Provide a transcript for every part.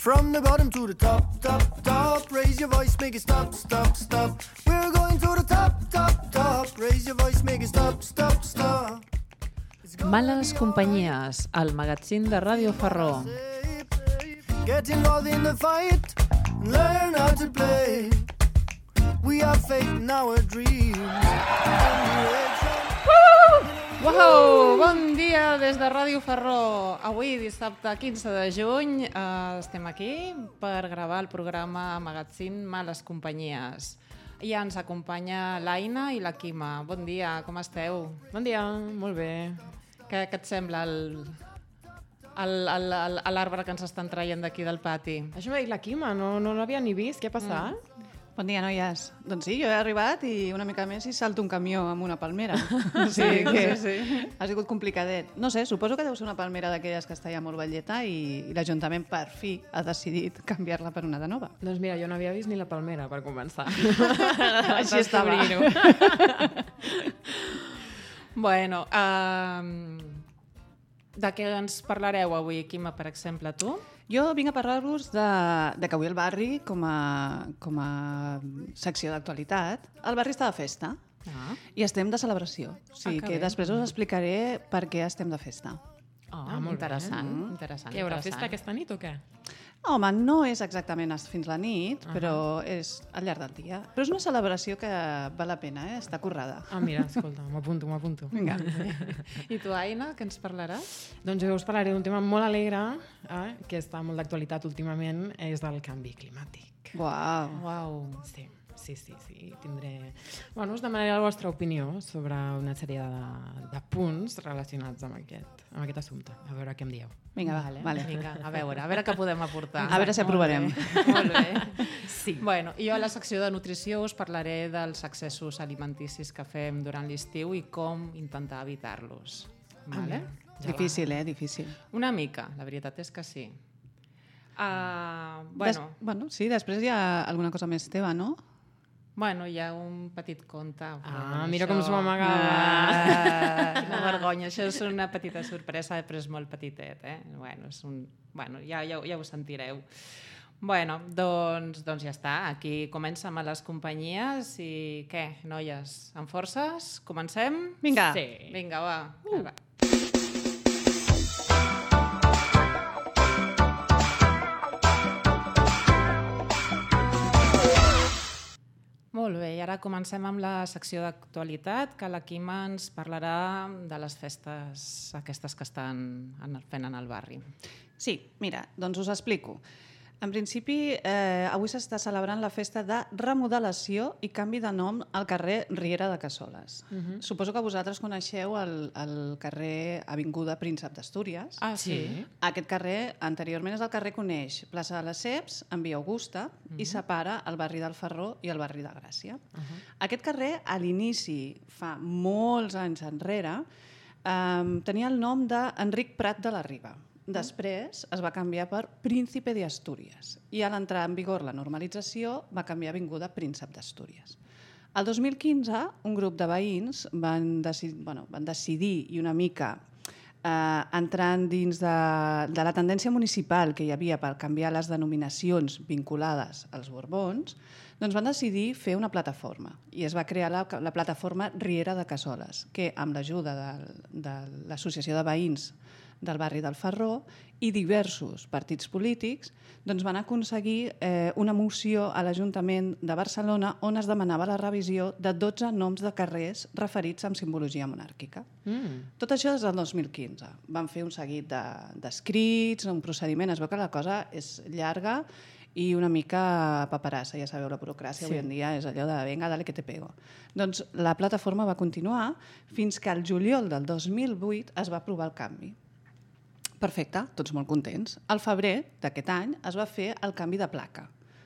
From the bottom to the top, top, top. Raise your voice, make it stop, stop, stop. We're going to the top, top, top. Raise your voice, make it stop, stop, stop. Males companyies, el magazín de Ràdio Ferró. Get involved in the fight, learn how to play. We have faith in our dreams. Uau! Bon dia des de Ràdio Ferró. Avui, dissabte 15 de juny, estem aquí per gravar el programa magazín Males companyies. I ens acompanya l'Aina i la Quima. Bon dia, com esteu? Bon dia, molt bé. Què et sembla l'arbre que ens estan traient d'aquí del pati? Això m'ha dit la Quima, no l'havia ni vist. Què ha passat? Bon dia, noies. Doncs sí, jo he arribat i una mica més i salto un camió amb una palmera. O sigui que ha sigut complicadet. No sé, suposo que deu ser una palmera d'aquelles que està ja molt velleta i l'Ajuntament per fi ha decidit canviar-la per una de nova. Doncs mira, jo no havia vist ni la palmera, per començar. Així estava. Bueno, de què ens parlareu avui, Quima, per exemple, tu? Jo vinc a parlar-vos de que avui el barri, com a secció d'actualitat, el barri està de festa i estem de celebració. O sigui que després us explicaré per què estem de festa. Molt interessant. Hi haurà festa aquesta nit o què? Home, no és exactament fins la nit, però és al llarg del dia. Però és una celebració que val la pena, està currada. Mira, escolta, m'apunto. Vinga. I tu, Aina, què ens parlaràs? Doncs jo us parlaré d'un tema molt alegre, que està molt d'actualitat últimament, és del canvi climàtic. Uau. Sí, tindré... Bueno, us demanaré la vostra opinió sobre una sèrie de punts relacionats amb aquest assumpte. A veure què em dieu. Vinga, vale. Vinga, a veure què podem aportar. A veure si aprovarem. Molt bé. Sí. Bueno, jo a la secció de nutrició us parlaré dels excessos alimenticis que fem durant l'estiu i com intentar evitar-los. Vale? Difícil, Difícil. Una mica, la veritat és que sí. Bueno, sí, després hi ha alguna cosa més teva, no? Bueno, hi ha un petit conte. Mira com s'ho amagava. Quina vergonya, això és una petita sorpresa, però és molt petitet, Bueno, ja ho sentireu. Bueno, doncs ja està. Aquí comença amb les companyies i què, noies, amb forces? Comencem? Vinga. Sí. Vinga, va. Molt bé, i ara comencem amb la secció d'actualitat, que la Quima ens parlarà de les festes aquestes que estan fent en el barri. Sí, mira, doncs us explico. En principi, avui s'està celebrant la festa de remodelació i canvi de nom al carrer Riera de Cassoles. Suposo que vosaltres coneixeu el carrer Avinguda Príncep d'Astúries. Sí. Aquest carrer, anteriorment, és el carrer que uneix Plaça de les Ceps amb Via Augusta i separa el barri del Ferró i el barri de Gràcia. Aquest carrer, a l'inici, fa molts anys enrere, tenia el nom d'Enric Prat de la Riba. Després es va canviar per Príncipe de Astúries i a l'entrar en vigor la normalització va canviar a Avinguda Príncep d'Astúries. El 2015 un grup de veïns van decidir i una mica entrant dins de la tendència municipal que hi havia per canviar les denominacions vinculades als Borbons, doncs van decidir fer una plataforma i es va crear la plataforma Riera de Cassoles, que amb l'ajuda de l'Associació de Veïns del barri del Ferró i diversos partits polítics doncs van aconseguir una moció a l'Ajuntament de Barcelona on es demanava la revisió de 12 noms de carrers referits amb simbologia monàrquica. Tot això des del 2015. Van fer un seguit d'escrits, un procediment, es veu que la cosa és llarga i una mica paperassa, ja sabeu, la burocràcia avui en dia és allò de venga, dale que te pego. Doncs la plataforma va continuar fins que al juliol del 2008 es va aprovar el canvi. Perfecte, tots molt contents. Al febrer d'aquest any es va fer el canvi de placa.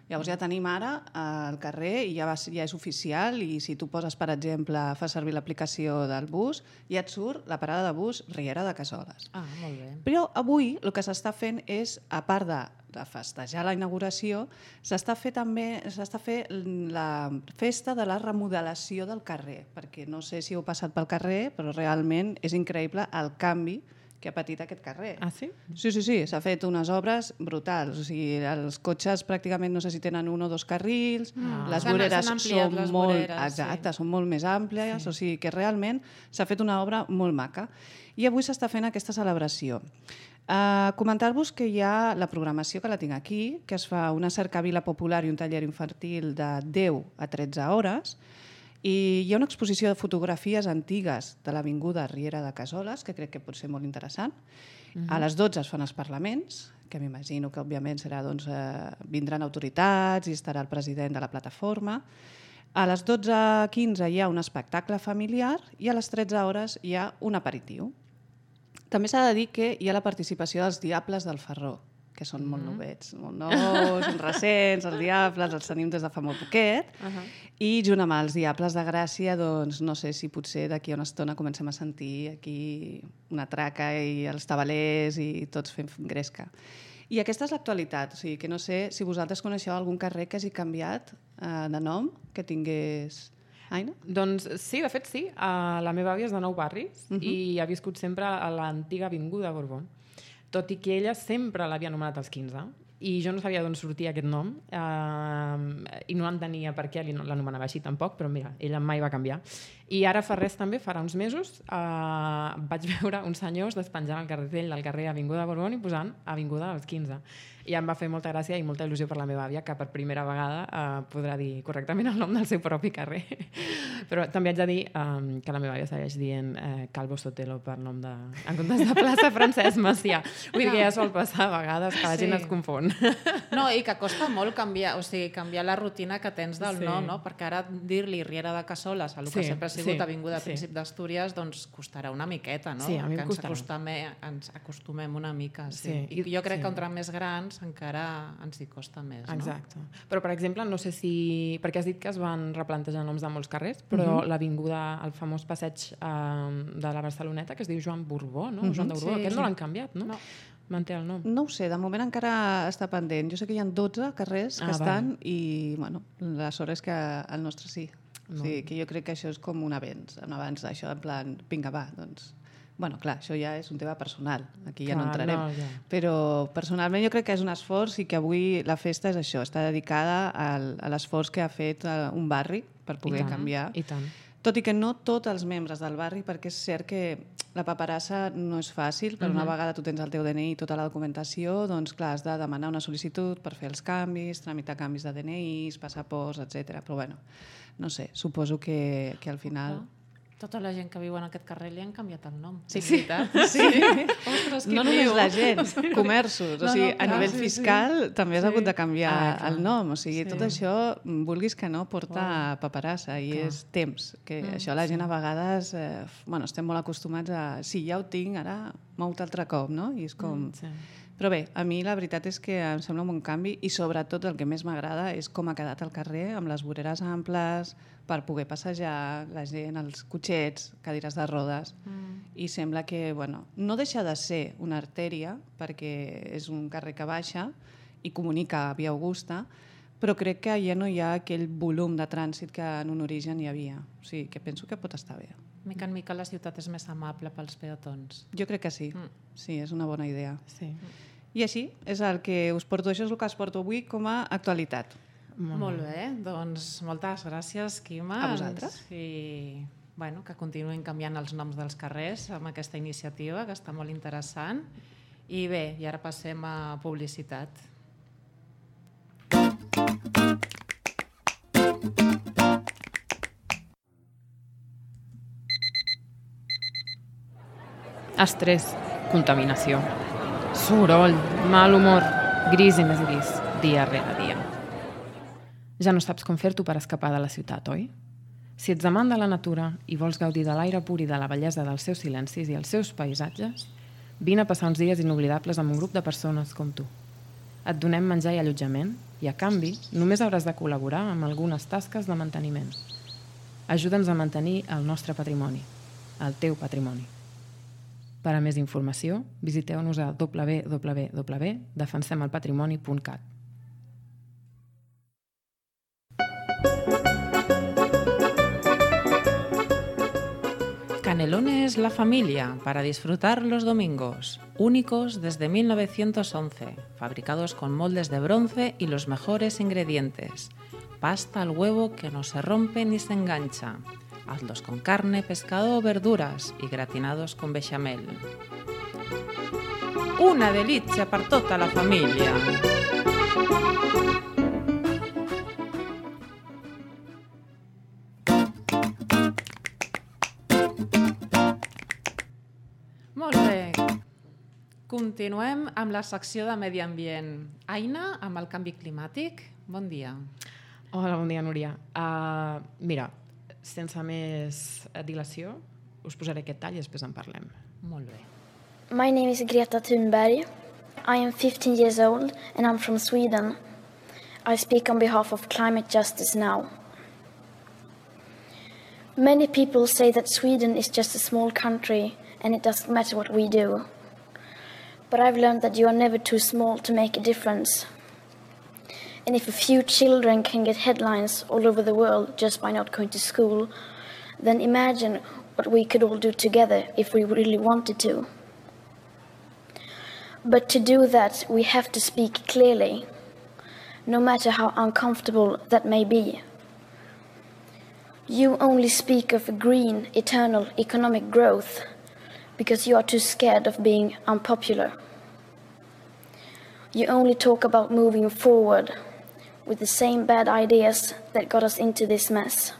Llavors ja tenim ara el carrer i ja és oficial i si tu poses, per exemple, fas servir l'aplicació del bus, ja et surt la parada de bus Riera de Cassoles. Molt bé. Però avui el que s'està fent és, a part de festejar la inauguració, s'està fent la festa de la remodelació del carrer, perquè no sé si heu passat pel carrer, però realment és increïble el canvi que ha patit aquest carrer. Ah, sí? Sí, s'ha fet unes obres brutals. O sigui, els cotxes pràcticament no sé si tenen 1 o 2 carrils, les voreres són molt més àmplies, o sigui que realment s'ha fet una obra molt maca. I avui s'està fent aquesta celebració. Comentar-vos que hi ha la programació, que la tinc aquí, que es fa una cercavila popular i un taller infantil de 10 a 13 hores, i hi ha una exposició de fotografies antigues de l'Avinguda Riera de Cassoles, que crec que pot ser molt interessant. A les 12 es fan els parlaments, que m'imagino que òbviament serà, doncs, vindran autoritats i estarà el president de la plataforma. A les 12:15 hi ha un espectacle familiar i a les 13 hores hi ha un aperitiu. També s'ha de dir que hi ha la participació dels Diables del Ferró, que són molt novets, molt nous, recents, els Diables, els tenim des de fa molt poquet, i junt amb els Diables de Gràcia, doncs no sé si potser d'aquí a una estona comencem a sentir aquí una traca i els tabalers i tots fent gresca. I aquesta és l'actualitat, o sigui que no sé si vosaltres coneixeu algun carrer que hagi canviat de nom, que tingués... Aina? Doncs sí, de fet sí. La meva àvia és de Nou Barris i ha viscut sempre a l'antiga Avinguda Borbó. Tot i que ella sempre l'havia anomenat als 15, i jo no sabia d'on sortia aquest nom, i no entenia per què l'anomenava així tampoc, però mira, ella mai va canviar. I ara fa res també, farà uns mesos, vaig veure uns senyors despenjant el cartell del carrer Avinguda Borbó i posant Avinguda als 15. I em va fer molta gràcia i molta il·lusió per la meva àvia, que per primera vegada podrà dir correctament el nom del seu propi carrer. Però també haig de dir que la meva àvia segueix dient Calvo Sotelo per nom de... en comptes de plaça Francesc Macià. Vull dir que ja sol passar a vegades que la gent es confon. No, i que costa molt canviar la rutina que tens del nom, no? Perquè ara dir-li Riera de Cassoles, a lo que sempre ha sigut Avinguda Príncip d'Astúries, doncs costarà una miqueta, no? Sí, a mi em costarà. Ens acostumem una mica, sí. I jo crec que entre més grans encara ens hi costa més, no? Exacte. Però, per exemple, no sé si... perquè has dit que es van replantejar noms de molts carrers, però l'avinguda, el famós passeig de la Barceloneta, que es diu Joan Borbó, no? Joan de Borbó, aquest no l'han canviat, no? Manté el nom. No ho sé, de moment encara està pendent. Jo sé que hi ha 12 carrers que estan i, bueno, la sort és que el nostre sí. O sigui, que jo crec que això és com un avenç d'això, en plan, vinga, va, doncs... Bueno, clar, això ja és un tema personal, aquí ja no entrarem. Però personalment jo crec que és un esforç i que avui la festa és això, està dedicada a l'esforç que ha fet un barri per poder canviar. I tant. Tot i que no tots els membres del barri, perquè és cert que la paperassa no és fàcil, però una vegada tu tens el teu DNI i tota la documentació, doncs clar, has de demanar una sol·licitud per fer els canvis, tramitar canvis de DNIs, passaports, etc. Però bueno, no sé, suposo que al final... Tota la gent que viu en aquest carrer li han canviat el nom. Sí. Ostres, no només la gent, comerços. O sigui, a nivell fiscal també has hagut de canviar el nom. O sigui, tot això, vulguis que no, porta paperassa i és temps. Que això la gent a vegades... estem molt acostumats a... Sí, ja ho tinc, ara mou-te altre cop, no? I és com... Però bé, a mi la veritat és que em sembla un bon canvi i sobretot el que més m'agrada és com ha quedat el carrer, amb les voreres amples, per poder passejar, la gent, els cotxets, cadires de rodes. I sembla que, no deixa de ser una artèria, perquè és un carrer que baixa i comunica a Via Augusta, però crec que ja no hi ha aquell volum de trànsit que en un origen hi havia. O sigui, que penso que pot estar bé. Mica en mica la ciutat és més amable pels peatons. Jo crec que sí. Sí, és una bona idea. Sí. I així és el que us porto. Això és el que us porto avui com a actualitat. Molt bé, doncs moltes gràcies, Quima. A vosaltres. I que continuïn canviant els noms dels carrers amb aquesta iniciativa, que està molt interessant. I bé, i ara passem a publicitat. Estrès, contaminació, soroll, mal humor, gris i més gris, dia rere dia. Ja no saps com fer-t'ho per escapar de la ciutat, oi? Si ets amant de la natura i vols gaudir de l'aire pur i de la bellesa dels seus silencis i els seus paisatges, vine a passar uns dies inoblidables amb un grup de persones com tu. Et donem menjar i allotjament i, a canvi, només hauràs de col·laborar amb algunes tasques de manteniment. Ajuda'ns a mantenir el nostre patrimoni, el teu patrimoni. Per a més informació, visiteu-nos a www.defensemelpatrimoni.cat. Canelones La Familia, para disfrutar los domingos. Únicos desde 1911, fabricados con moldes de bronce y los mejores ingredientes. Pasta al huevo que no se rompe ni se engancha. Hazlos con carne, pescado o verduras y gratinados con bechamel. Una delizia per tota la família. Molt bé. Continuem amb la secció de medi ambient. Aina, amb el canvi climàtic, bon dia. Hola, bon dia, Núria. Mira, sense més dilació, us posaré aquest tall i després en parlem. Molt bé. My name is Greta Thunberg. I am 15 years old and I'm from Sweden. I speak on behalf of Climate Justice Now. Many people say that Sweden is just a small country and it doesn't matter what we do. But I've learned that you are never too small to make a difference. And if a few children can get headlines all over the world just by not going to school, then imagine what we could all do together if we really wanted to. But to do that, we have to speak clearly, no matter how uncomfortable that may be. You only speak of green, eternal economic growth because you are too scared of being unpopular. You only talk about moving forward with the same bad ideas that got us into this mess,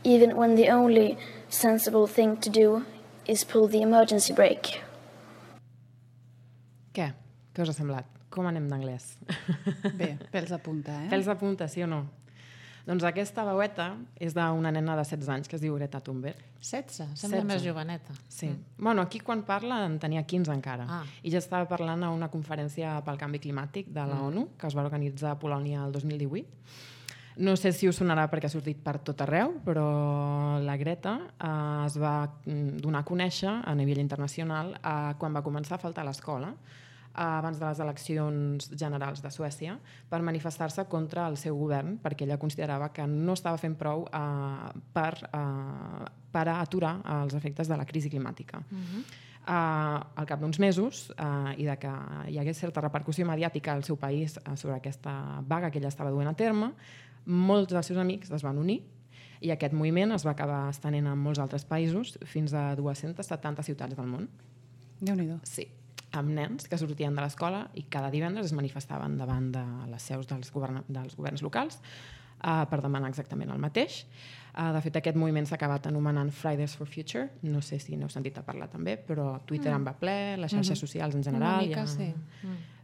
even when the only sensible thing to do is pull the emergency brake. Què? Què us ha semblat? Com anem d'anglès? Bé, pèls de punta, eh? Pèls de punta, sí o no? Doncs aquesta veueta és d'una nena de 16 anys que es diu Greta Thunberg. 16? Sembla 16. més joveneta. Sí. Bueno, aquí quan parla en tenia 15 encara. Ah. I ja estava parlant a una conferència pel canvi climàtic de la ONU, que es va organitzar a Polònia el 2018. No sé si us sonarà perquè ha sortit per tot arreu, però la Greta es va donar a conèixer a nivell internacional quan va començar a faltar a l'escola abans de les eleccions generals de Suècia per manifestar-se contra el seu govern perquè ella considerava que no estava fent prou per aturar els efectes de la crisi climàtica. Al cap d'uns mesos i de que hi hagués certa repercussió mediàtica al seu país sobre aquesta vaga que ella estava duent a terme, molts dels seus amics es van unir i aquest moviment es va acabar estenent en molts altres països fins a 270 ciutats del món. Déu-n'hi-do. Sí, amb nens que sortien de l'escola i cada divendres es manifestaven davant de les seus dels governs locals per demanar exactament el mateix. De fet, aquest moviment s'ha acabat anomenant Fridays for Future. No sé si n'heu sentit a parlar també, però Twitter en va ple, les xarxes socials en general. Una mica, sí.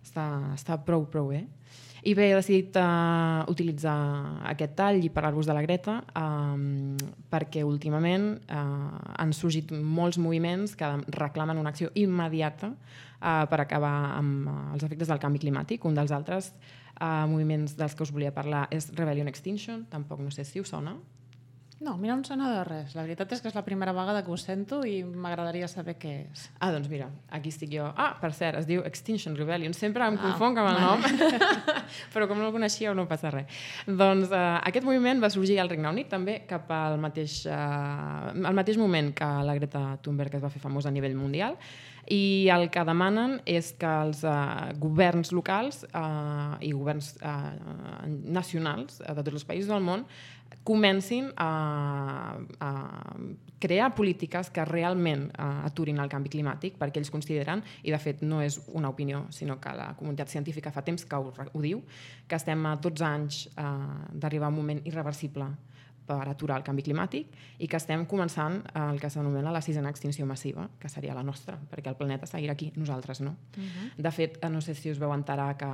Està prou bé. I bé, he decidit utilitzar aquest tall i parlar-vos de la Greta perquè últimament han sorgit molts moviments que reclamen una acció immediata per acabar amb els efectes del canvi climàtic. Un dels altres moviments dels que us volia parlar és Rebellion Extinction, tampoc no sé si us sona. No, a mi no em sona de res. La veritat és que és la primera vegada que ho sento i m'agradaria saber què és. Doncs mira, aquí estic jo. Per cert, es diu Extinction Rebellion. Sempre em confonc amb el nom, però com no el coneixíeu no passa res. Doncs aquest moviment va sorgir al Regne Unit també cap al mateix moment que la Greta Thunberg es va fer famosa a nivell mundial i el que demanen és que els governs locals i governs nacionals de tots els països del món comencin a crear polítiques que realment aturin el canvi climàtic, perquè ells consideren, i de fet no és una opinió, sinó que la comunitat científica fa temps que ho diu, que estem a 12 anys d'arribar a un moment irreversible per aturar el canvi climàtic i que estem començant el que s'anomena la sisena extinció massiva, que seria la nostra, perquè el planeta seguirà aquí, nosaltres no. De fet, no sé si us veu enterar que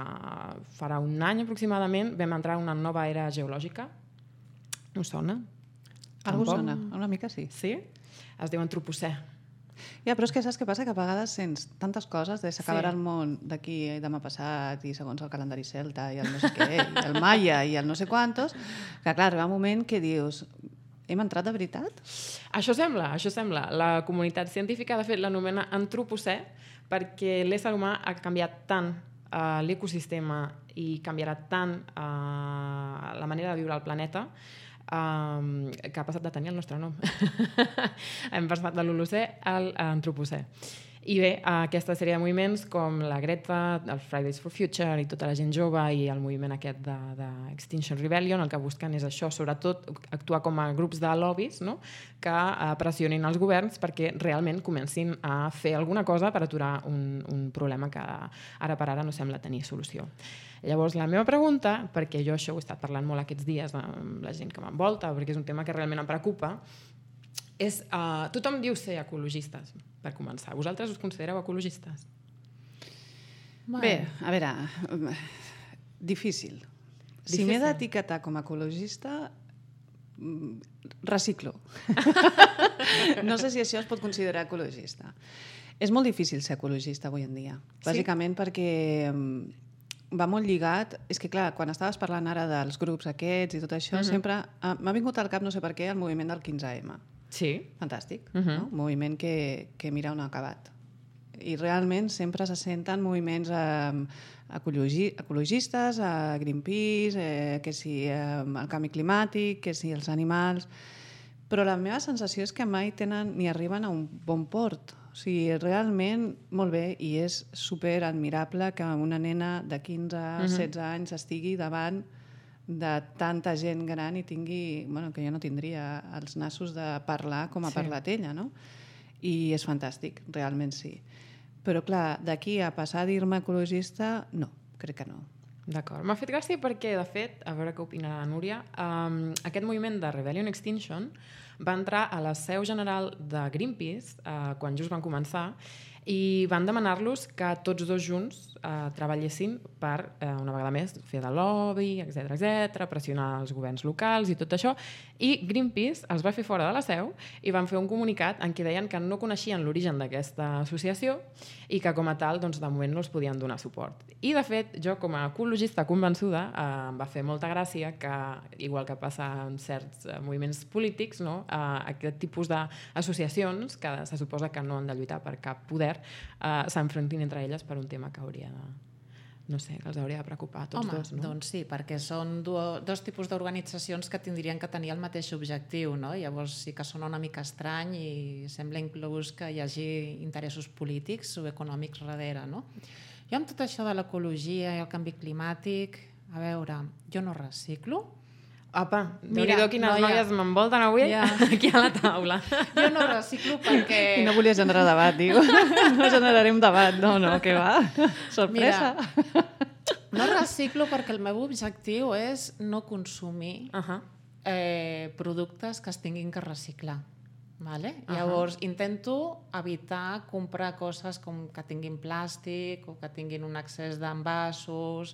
farà un any aproximadament vam entrar en una nova era geològica. Us sona? Algú sona, una mica sí. Sí? Es diu antropocè. Ja, però és que saps què passa? Que a vegades sents tantes coses de s'acabarà el món d'aquí demà passat i segons el calendari celta i el no sé què, i el maia i el no sé quantos, que clar, arriba un moment que dius hem entrat de veritat? Això sembla. La comunitat científica, de fet, l'anomena antropocè perquè l'ésser humà ha canviat tant l'ecosistema i canviarà tant la manera de viure al planeta que ha passat de tenir el nostre nom. Hem passat de l'Holocè a l'Antropocè. I bé, aquesta sèrie de moviments com la Greta, el Fridays for Future i tota la gent jove i el moviment aquest d'Extinction Rebellion, el que busquen és això, sobretot actuar com a grups de lobbies, no? Que pressionin els governs perquè realment comencin a fer alguna cosa per aturar un problema que ara per ara no sembla tenir solució. Llavors, la meva pregunta, perquè jo això ho he estat parlant molt aquests dies amb la gent que m'envolta, perquè és un tema que realment em preocupa, és, tothom diu ser ecologistes, per començar. Vosaltres us considereu ecologistes? Bé, a veure, difícil. Si m'he d'etiquetar com a ecologista, reciclo. No sé si això es pot considerar ecologista. És molt difícil ser ecologista avui en dia, bàsicament perquè va molt lligat. És que, clar, quan estaves parlant ara dels grups aquests i tot això, sempre m'ha vingut al cap, no sé per què, el moviment del 15M. Sí. Fantàstic, no? Un moviment que mira on ha acabat. I realment sempre se senten moviments ecologistes, Greenpeace, que si el canvi climàtic, que si els animals... Però la meva sensació és que mai tenen ni arriben a un bon port. O sigui, realment, molt bé, i és super admirable que una nena de 15-16 anys estigui davant de tanta gent gran i tingui, bueno, que jo no tindria els nassos de parlar com ha parlat ella, no? I és fantàstic, realment sí. Però clar, d'aquí a passar a dir-me ecologista, no, crec que no. D'acord. M'ha fet gràcia perquè, de fet, a veure què opina la Núria, aquest moviment de Rebellion Extinction va entrar a la seu general de Greenpeace quan just van començar i van demanar-los que tots dos junts treballessin per, una vegada més, fer de lobby, etc, pressionar els governs locals i tot això. I Greenpeace els va fer fora de la seu i van fer un comunicat en què deien que no coneixien l'origen d'aquesta associació i que, com a tal, doncs, de moment no els podien donar suport. I, de fet, jo, com a ecologista convençuda, em va fer molta gràcia que, igual que passa en certs moviments polítics, no? Aquest tipus d'associacions, que se suposa que no han de lluitar per cap poder, s'enfrontin entre elles per un tema que hauria de... No sé, que els hauria de preocupar a tots dos, no? Doncs sí, perquè són dos tipus d'organitzacions que tindrien que tenir el mateix objectiu, no? Llavors sí que sona una mica estrany i sembla inclús que hi hagi interessos polítics o econòmics darrere, no? Jo amb tot això de l'ecologia i el canvi climàtic, a veure, jo no reciclo. Apa, déu-n'hi-do quines noies m'envolten avui aquí a la taula. Jo no reciclo perquè... I no volia generar debat, diu. No generarem debat. No, què va? Sorpresa. Mira, no reciclo perquè el meu objectiu és no consumir productes que es tinguin que reciclar. Vale? Llavors, intento evitar comprar coses com que tinguin plàstic o que tinguin un excés d'envasos,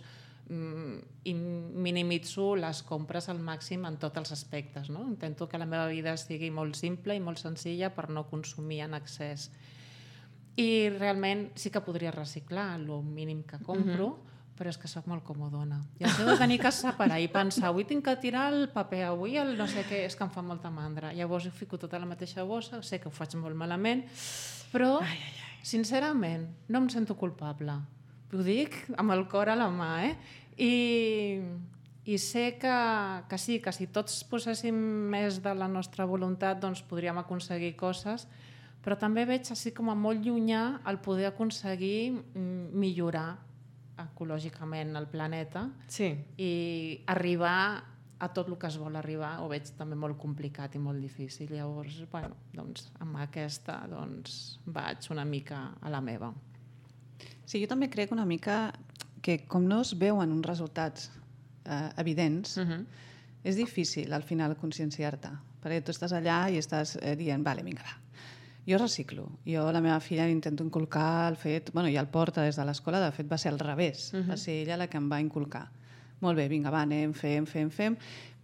i minimitzo les compres al màxim en tots els aspectes, no? Intento que la meva vida sigui molt simple i molt senzilla per no consumir en excés. I realment sí que podria reciclar el mínim que compro, però és que sóc molt comodona. I això de tenir que separar i pensar, avui tinc que tirar el paper, avui el no sé què, és que em fa molta mandra. Llavors ho fico tot a la mateixa bossa, sé que ho faig molt malament, però sincerament no em sento culpable. Ho dic amb el cor a la mà, I sé que sí, que si tots poséssim més de la nostra voluntat doncs podríem aconseguir coses, però també veig així com a molt llunyà el poder aconseguir millorar ecològicament el planeta i arribar a tot el que es vol arribar, ho veig també molt complicat i molt difícil. Llavors, bueno, doncs amb aquesta vaig una mica a la meva. Sí, jo també crec una mica que com no es veuen uns resultats evidents, és difícil al final conscienciar-te, perquè tu estàs allà i estàs dient, vale, vinga, va, jo reciclo. Jo a la meva filla intento inculcar el fet, bueno, ja el porta des de l'escola, de fet va ser al revés, va ser ella la que em va inculcar. Molt bé, vinga, va, anem, fem,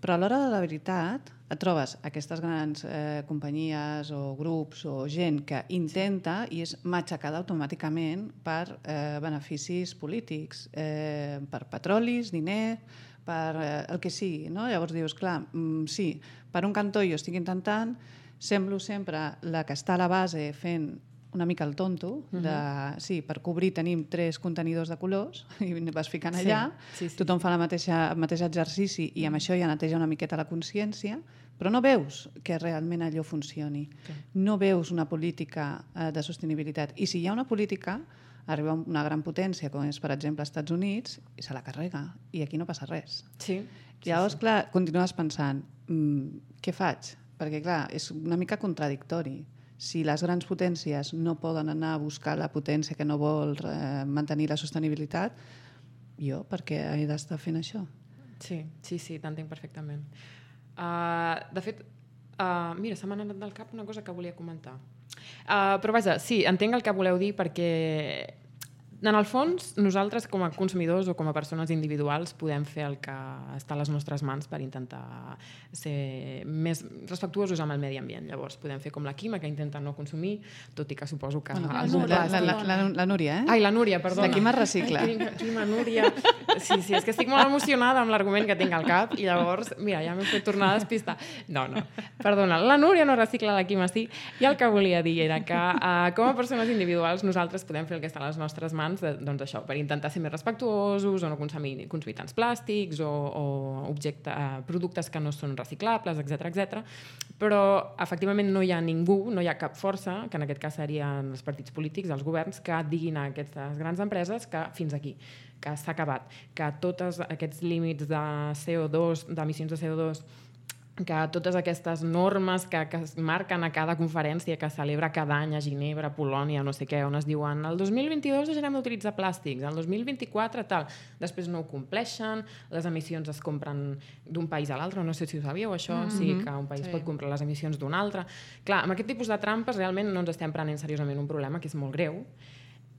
però a l'hora de la veritat et trobes aquestes grans companyies o grups o gent que intenta i és matxacada automàticament per beneficis polítics, per petrolis, diner, per el que sigui, no? Llavors dius, clar, sí, per un cantó jo estic intentant, semblo sempre la que està a la base fent una mica el tonto, sí, per cobrir tenim 3 contenidors de colors i vas ficant allà, tothom fa el mateix exercici i amb això ja neteja una miqueta la consciència, però no veus que realment allò funcioni. No veus una política de sostenibilitat. I si hi ha una política, arriba una gran potència, com és, per exemple, als Estats Units, i se la carrega, i aquí no passa res. Llavors, clar, continues pensant, què faig? Perquè, clar, és una mica contradictori. Si les grans potències no poden anar a buscar la potència que no vol mantenir la sostenibilitat, jo per què he d'estar fent això? Sí, t'entenc perfectament. De fet, mira, se m'ha anat del cap una cosa que volia comentar. Però vaja, sí, entenc el que voleu dir perquè en el fons nosaltres com a consumidors o com a persones individuals podem fer el que està a les nostres mans per intentar ser més respectuosos amb el medi ambient. Llavors podem fer com la Quima, que intenta no consumir, tot i que suposo que... La Núria, eh? Ai, la Núria, perdona. La Quima recicla. Quima, Núria. Sí, és que estic molt emocionada amb l'argument que tinc al cap i llavors, mira, ja m'he fet tornar a despistar. No, perdona, la Núria no recicla, la Quima sí. I el que volia dir era que com a persones individuals nosaltres podem fer el que està a les nostres mans, doncs això, per intentar ser més respectuosos o no consumir tants plàstics o productes que no són reciclables, etc. Però efectivament no hi ha ningú, no hi ha cap força, que en aquest cas serien els partits polítics, els governs, que diguin a aquestes grans empreses que fins aquí, que s'ha acabat, que tots aquests límits de CO2, d'emissions de CO2, que totes aquestes normes que es marquen a cada conferència que celebra cada any a Ginebra, a Polònia, no sé què, on es diuen el 2022 deixarem d'utilitzar plàstics, el 2024 tal, després no ho compleixen, les emissions es compren d'un país a l'altre, no sé si ho sabíeu això, sí que un país pot comprar les emissions d'un altre. Clar, amb aquest tipus de trampes realment no ens estem prenent seriosament un problema que és molt greu.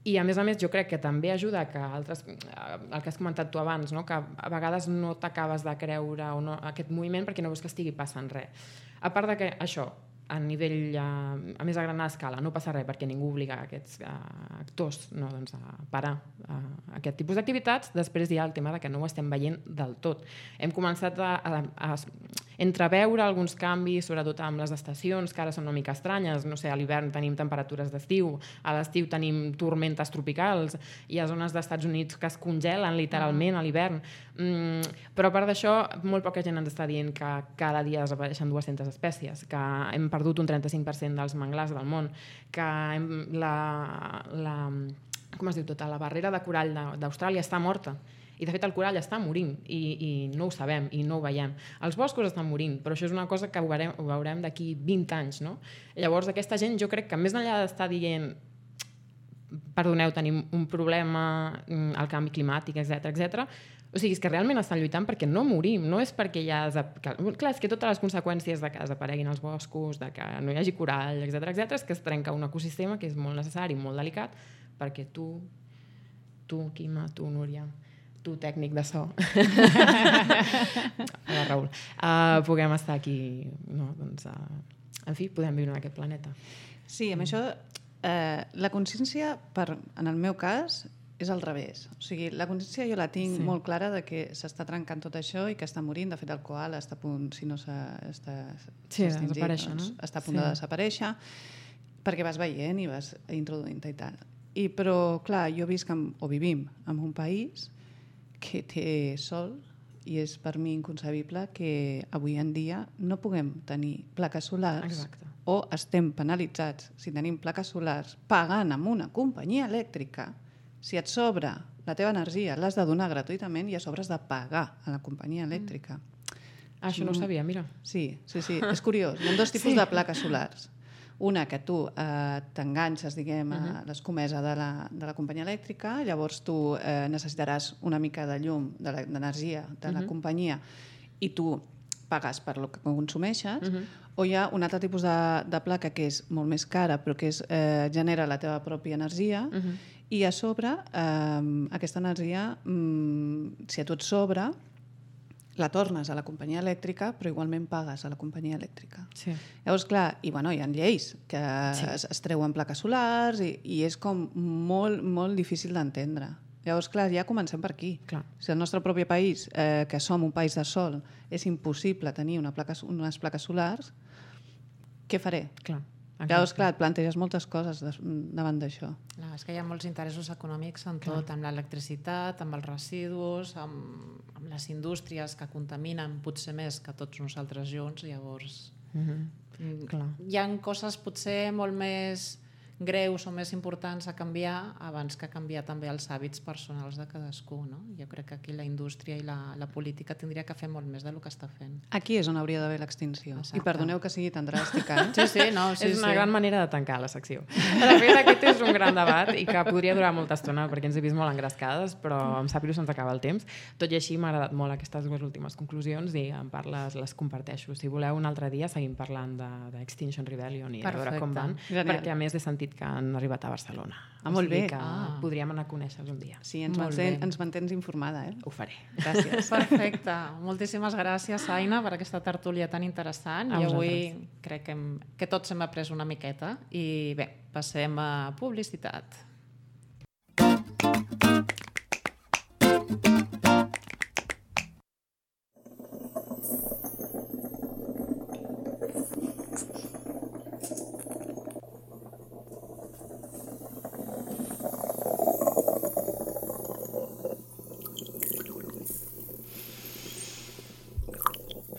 I a més jo crec que també ajuda que altres, el que has comentat tu abans, no? Que a vegades no t'acabes de creure o no, aquest moviment perquè no veus que estigui passant res. A part de que això, a nivell, a més a gran escala, no passa res perquè ningú obliga aquests actors a parar aquest tipus d'activitats, després hi ha el tema de que no ho estem veient del tot. Hem començat a entreveure alguns canvis, sobretot amb les estacions, que ara són una mica estranyes. No sé, a l'hivern tenim temperatures d'estiu, a l'estiu tenim tormentes tropicals, hi ha zones d'Estats Units que es congelen literalment a l'hivern. Però a part d'això, molt poca gent ens està dient que cada dia desapareixen 200 espècies, que hem perdut un 35% dels manglars del món, que com es diu tota, la barrera de corall d'Austràlia està morta. I de fet el corall està morint i no ho sabem i no ho veiem. Els boscos estan morint, però això és una cosa que ho veurem d'aquí 20 anys, no? Llavors aquesta gent jo crec que més enllà d'estar dient perdoneu, tenim un problema, el canvi climàtic, etc. O sigui, és que realment estan lluitant perquè no morim, no és perquè ja... Clar, és que totes les conseqüències de que desapareguin els boscos, de que no hi hagi corall, etc., és que es trenca un ecosistema que és molt necessari, molt delicat, perquè tu, Quima, tu, Núria, tu, tècnic de so, Raül, puguem estar aquí, no? Doncs, en fi, podem viure en aquest planeta. Sí, amb això, la consciència, en el meu cas, és al revés. O sigui, la consciència jo la tinc molt clara de que s'està trencant tot això i que està morint. De fet, el koala està a punt, si no està extingit, doncs està a punt de desaparèixer, perquè vas veient i vas introduint-te i tal. Però, clar, jo vivim en un país que té sol i és per mi inconcebible que avui en dia no puguem tenir plaques solars o estem penalitzats si tenim plaques solars pagant amb una companyia elèctrica. Si et sobra la teva energia, l'has de donar gratuïtament i a sobre has de pagar a la companyia elèctrica. Això no ho sabia, mira. Sí. És curiós. Hi ha dos tipus de plaques solars. Una que tu t'enganxes, diguem, a l'escomesa de la companyia elèctrica, llavors tu necessitaràs una mica de llum, d'energia de la companyia, i tu pagues per el que consumeixes, o hi ha un altre tipus de placa que és molt més cara, però que genera la teva pròpia energia, i a sobre aquesta energia, si a tu et sobra, la tornes a la companyia elèctrica, però igualment pagues a la companyia elèctrica. Llavors, clar, hi ha lleis que es treuen plaques solars i és com molt, molt difícil d'entendre. Llavors, clar, ja comencem per aquí. Si el nostre propi país, que som un país de sol, és impossible tenir unes plaques solars, què faré? Llavors, clar, et planteges moltes coses davant d'això. És que hi ha molts interessos econòmics en tot, amb l'electricitat, amb els residus, amb les indústries que contaminen potser més que tots nosaltres junts, llavors hi ha coses potser molt més greus o més importants a canviar abans que canviar també els hàbits personals de cadascú, no? Jo crec que aquí la indústria i la política tindria que fer molt més del que està fent. Aquí és on hauria d'haver l'extinció. I perdoneu que sigui tan dràstica. Sí, és una gran manera de tancar la secció. De fet, aquest és un gran debat i que podria durar molta estona perquè ens he vist molt engrescades, però em sap greu se'ns acaba el temps. Tot i així m'ha agradat molt aquestes dues últimes conclusions i en parles, les comparteixo. Si voleu un altre dia seguim parlant d'Extinction Rebellion i de veure com van, perquè a més he sentit que han arribat a Barcelona. Molt bé. Podríem anar a conèixer-los un dia. Sí, ens mantens informada, eh? Ho faré. Gràcies. Perfecte. Moltíssimes gràcies, Aina, per aquesta tertúlia tan interessant. I avui crec que tots hem après una miqueta. I bé, passem a publicitat.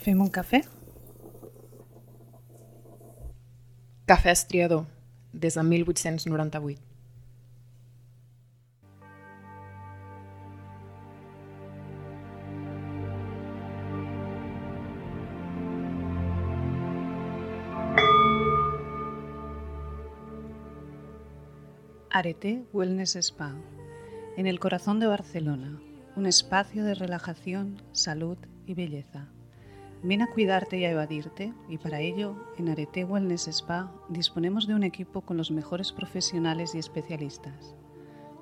Fem un cafè? Cafè Estriador, des de 1898. Arete Wellness Spa, en el corazón de Barcelona, un espacio de relajación, salud y belleza. Ven a cuidarte y a evadirte, y para ello, en Arete Wellness Spa disponemos de un equipo con los mejores profesionales y especialistas.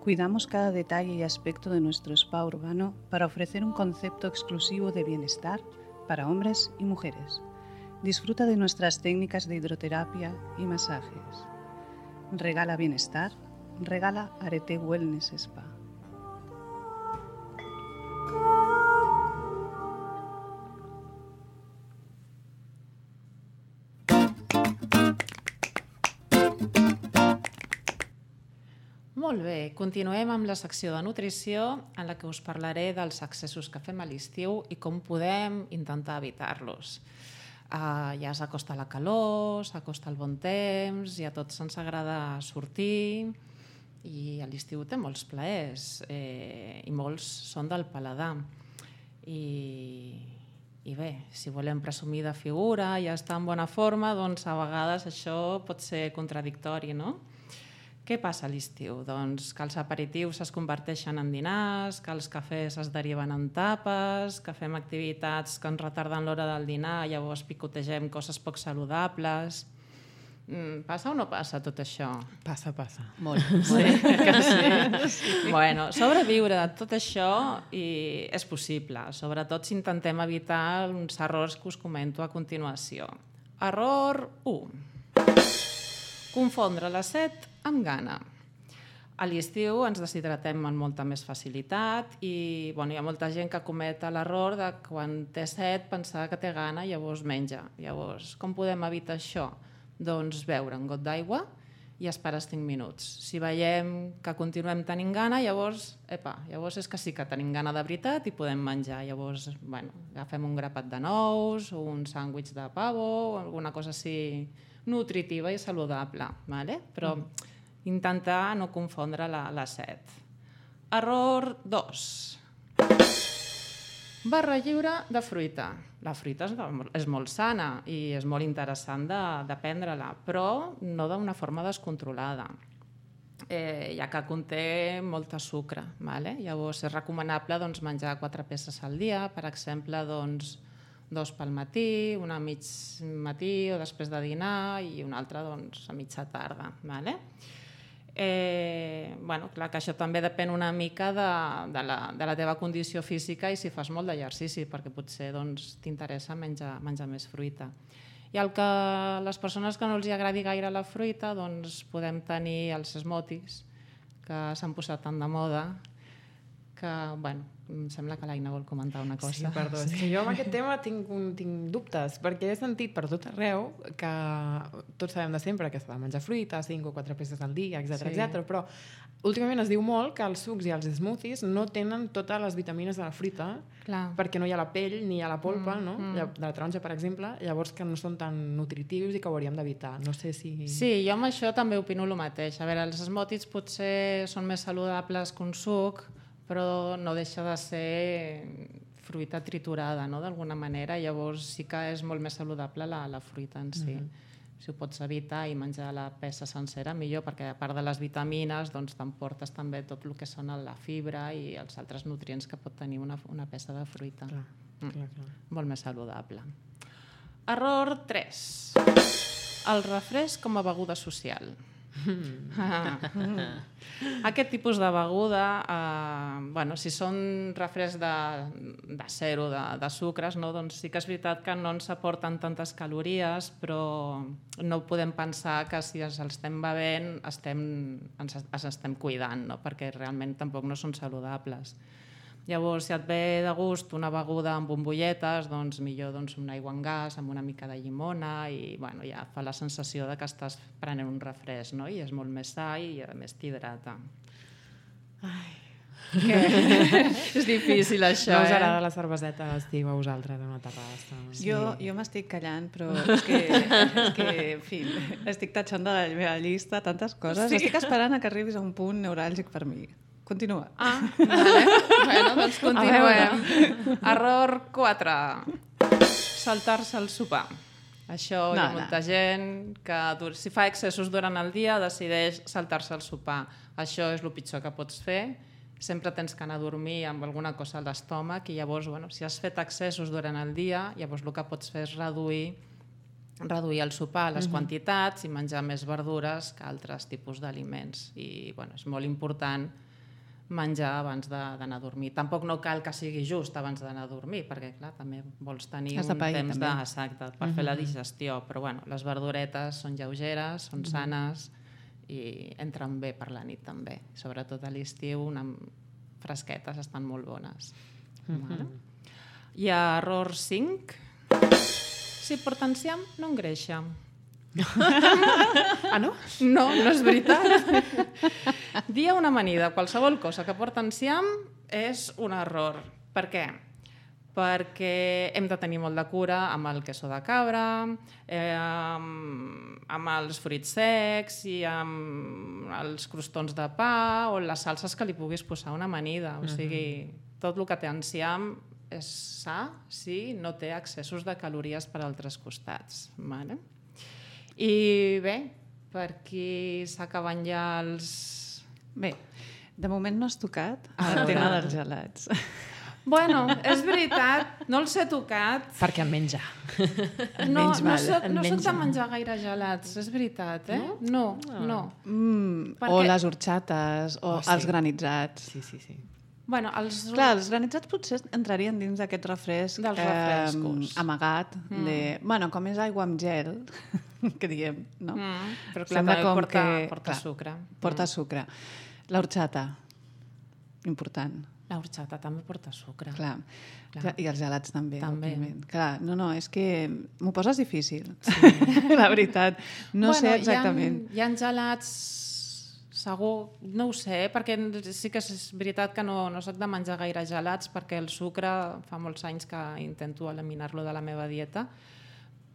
Cuidamos cada detalle y aspecto de nuestro spa urbano para ofrecer un concepto exclusivo de bienestar para hombres y mujeres. Disfruta de nuestras técnicas de hidroterapia y masajes. Regala bienestar, regala Arete Wellness Spa. Molt bé, continuem amb la secció de nutrició en la que us parlaré dels excessos que fem a l'estiu i com podem intentar evitar-los. Ja s'acosta la calor, s'acosta el bon temps i a tots ens agrada sortir i a l'estiu té molts plaers i molts són del paladar. I bé, si volem presumir de figura i estar en bona forma, doncs a vegades això pot ser contradictori, no? Què passa a l'estiu? Doncs que els aperitius es converteixen en dinars, que els cafès es deriven en tapes, que fem activitats que ens retarden l'hora del dinar, llavors picotegem coses poc saludables. Passa o no passa tot això? Passa. Molt. Sí, que sí. Bueno, sobreviure de tot això és possible. Sobretot si intentem evitar uns errors que us comento a continuació. Error 1. Confondre la set amb gana. A l'estiu ens deshidratem amb molta més facilitat i hi ha molta gent que comet l'error de quan té set pensar que té gana i llavors menja. Llavors, com podem evitar això? Doncs beure un got d'aigua i esperes 5 minuts. Si veiem que continuem tenint gana, llavors és que sí que tenim gana de veritat i podem menjar. Llavors, agafem un grapat de nous o un sàndwich de pavo o alguna cosa així nutritiva i saludable, però intentar no confondre la set. Error 2. Barra lliure de fruita. La fruita és molt sana i és molt interessant de prendre-la, però no d'una forma descontrolada, ja que conté molt sucre. Llavors és recomanable menjar 4 peces al dia, per exemple, 2 pel matí, una a mig matí o després de dinar i una altra a mitja tarda. Clar que això també depèn una mica de la teva condició física i si fas molt d'exercici, perquè potser t'interessa menjar més fruita. I les persones que no els agradi gaire la fruita, podem tenir els smoothies, que s'han posat tan de moda, que que, bueno, em sembla que l'Aina vol comentar una cosa. Sí, perdó. És que jo amb aquest tema tinc dubtes, perquè he sentit per tot arreu que tots sabem de sempre que s'ha de menjar fruita, 5 o 4 peces al dia, etc. Però últimament es diu molt que els sucs i els smoothies no tenen totes les vitamines de la fruita, perquè no hi ha la pell ni hi ha la polpa, no? De la taronja, per exemple, llavors que no són tan nutritius i que ho hauríem d'evitar. No sé si... Sí, jo amb això també opino el mateix. A veure, els smoothies potser són més saludables que un suc, però no deixa de ser fruita triturada, no?, d'alguna manera. Llavors sí que és molt més saludable la fruita en si. Si ho pots evitar i menjar la peça sencera, millor, perquè a part de les vitamines doncs t'emportes també tot el que són la fibra i els altres nutrients que pot tenir una peça de fruita. Clar. Molt més saludable. Error 3. El refresc com a beguda social. Aquest tipus de beguda, bueno, si són refrescs de zero, de sucres, no? Doncs sí que és veritat que no ens aporten tantes calories, però no podem pensar que si els estem bevent ens estem cuidant, no? Perquè realment tampoc no són saludables. Llavors, si et ve de gust una beguda amb bombolletes, doncs millor una aigua amb gas, amb una mica de llimona, i bueno, ja fa la sensació de que estàs prenent un refresc, no? I és molt més sa i a més t'hidrata. És difícil això, No us agrada la cerveseta a l'estiu a vosaltres a una terrassa? Jo m'estic callant, però és que, en fi, estic tatxant de la meva llista tantes coses. Sí. Estic esperant a que arribis a un punt neuràlgic per mi. Continua. Vale. Bueno, doncs continuem. Error 4. Saltar-se el sopar. Això hi ha molta gent que si fa excessos durant el dia decideix saltar-se el sopar. Això és el pitjor que pots fer. Sempre tens que anar a dormir amb alguna cosa a l'estómac i llavors, bueno, si has fet excessos durant el dia, llavors el que pots fer és reduir el sopar, les quantitats i menjar més verdures que altres tipus d'aliments. I bueno, és molt important menjar abans d'anar a dormir. Tampoc no cal que sigui just abans d'anar a dormir, perquè clar, també vols tenir un temps exacte per fer la digestió, però bueno, les verduretes són lleugeres, són sanes i entren bé per la nit també. Sobretot a l'estiu, fresquetes estan molt bones. I error 5. Si porta enciam, no engreixa. No? No és veritat. Dir una amanida, qualsevol cosa que porta enciam és un error. Per què? Perquè hem de tenir molt de cura amb el queso de cabra, amb els fruits secs i amb els crostons de pa o les salses que li puguis posar una amanida. O sigui, tot el que té enciam és sa si no té excessos de calories per altres costats. Vale? I bé, per aquí s'acaben ja els... Bé, de moment no has tocat el tema dels gelats. Bueno, és veritat, no els he tocat. Perquè en menja. No soc de menjar gaire gelats, és veritat, eh? No. O les horxates, o els granitzats. Sí. Bueno, clar, els granitzats potser entrarien dins d'aquest refresc dels refrescos amagat bueno, com és aigua amb gel que diem, no? Però clar, també porta sucre. Porta sucre. L'horxata, important. L'horxata també porta sucre. Clar. I els gelats també. Òbviament. Clar, no, és que m'ho poses difícil. La veritat. No sé exactament. Hi ha gelats... Segur, no ho sé, perquè sí que és veritat que no soc de menjar gaire gelats perquè el sucre fa molts anys que intento eliminar-lo de la meva dieta,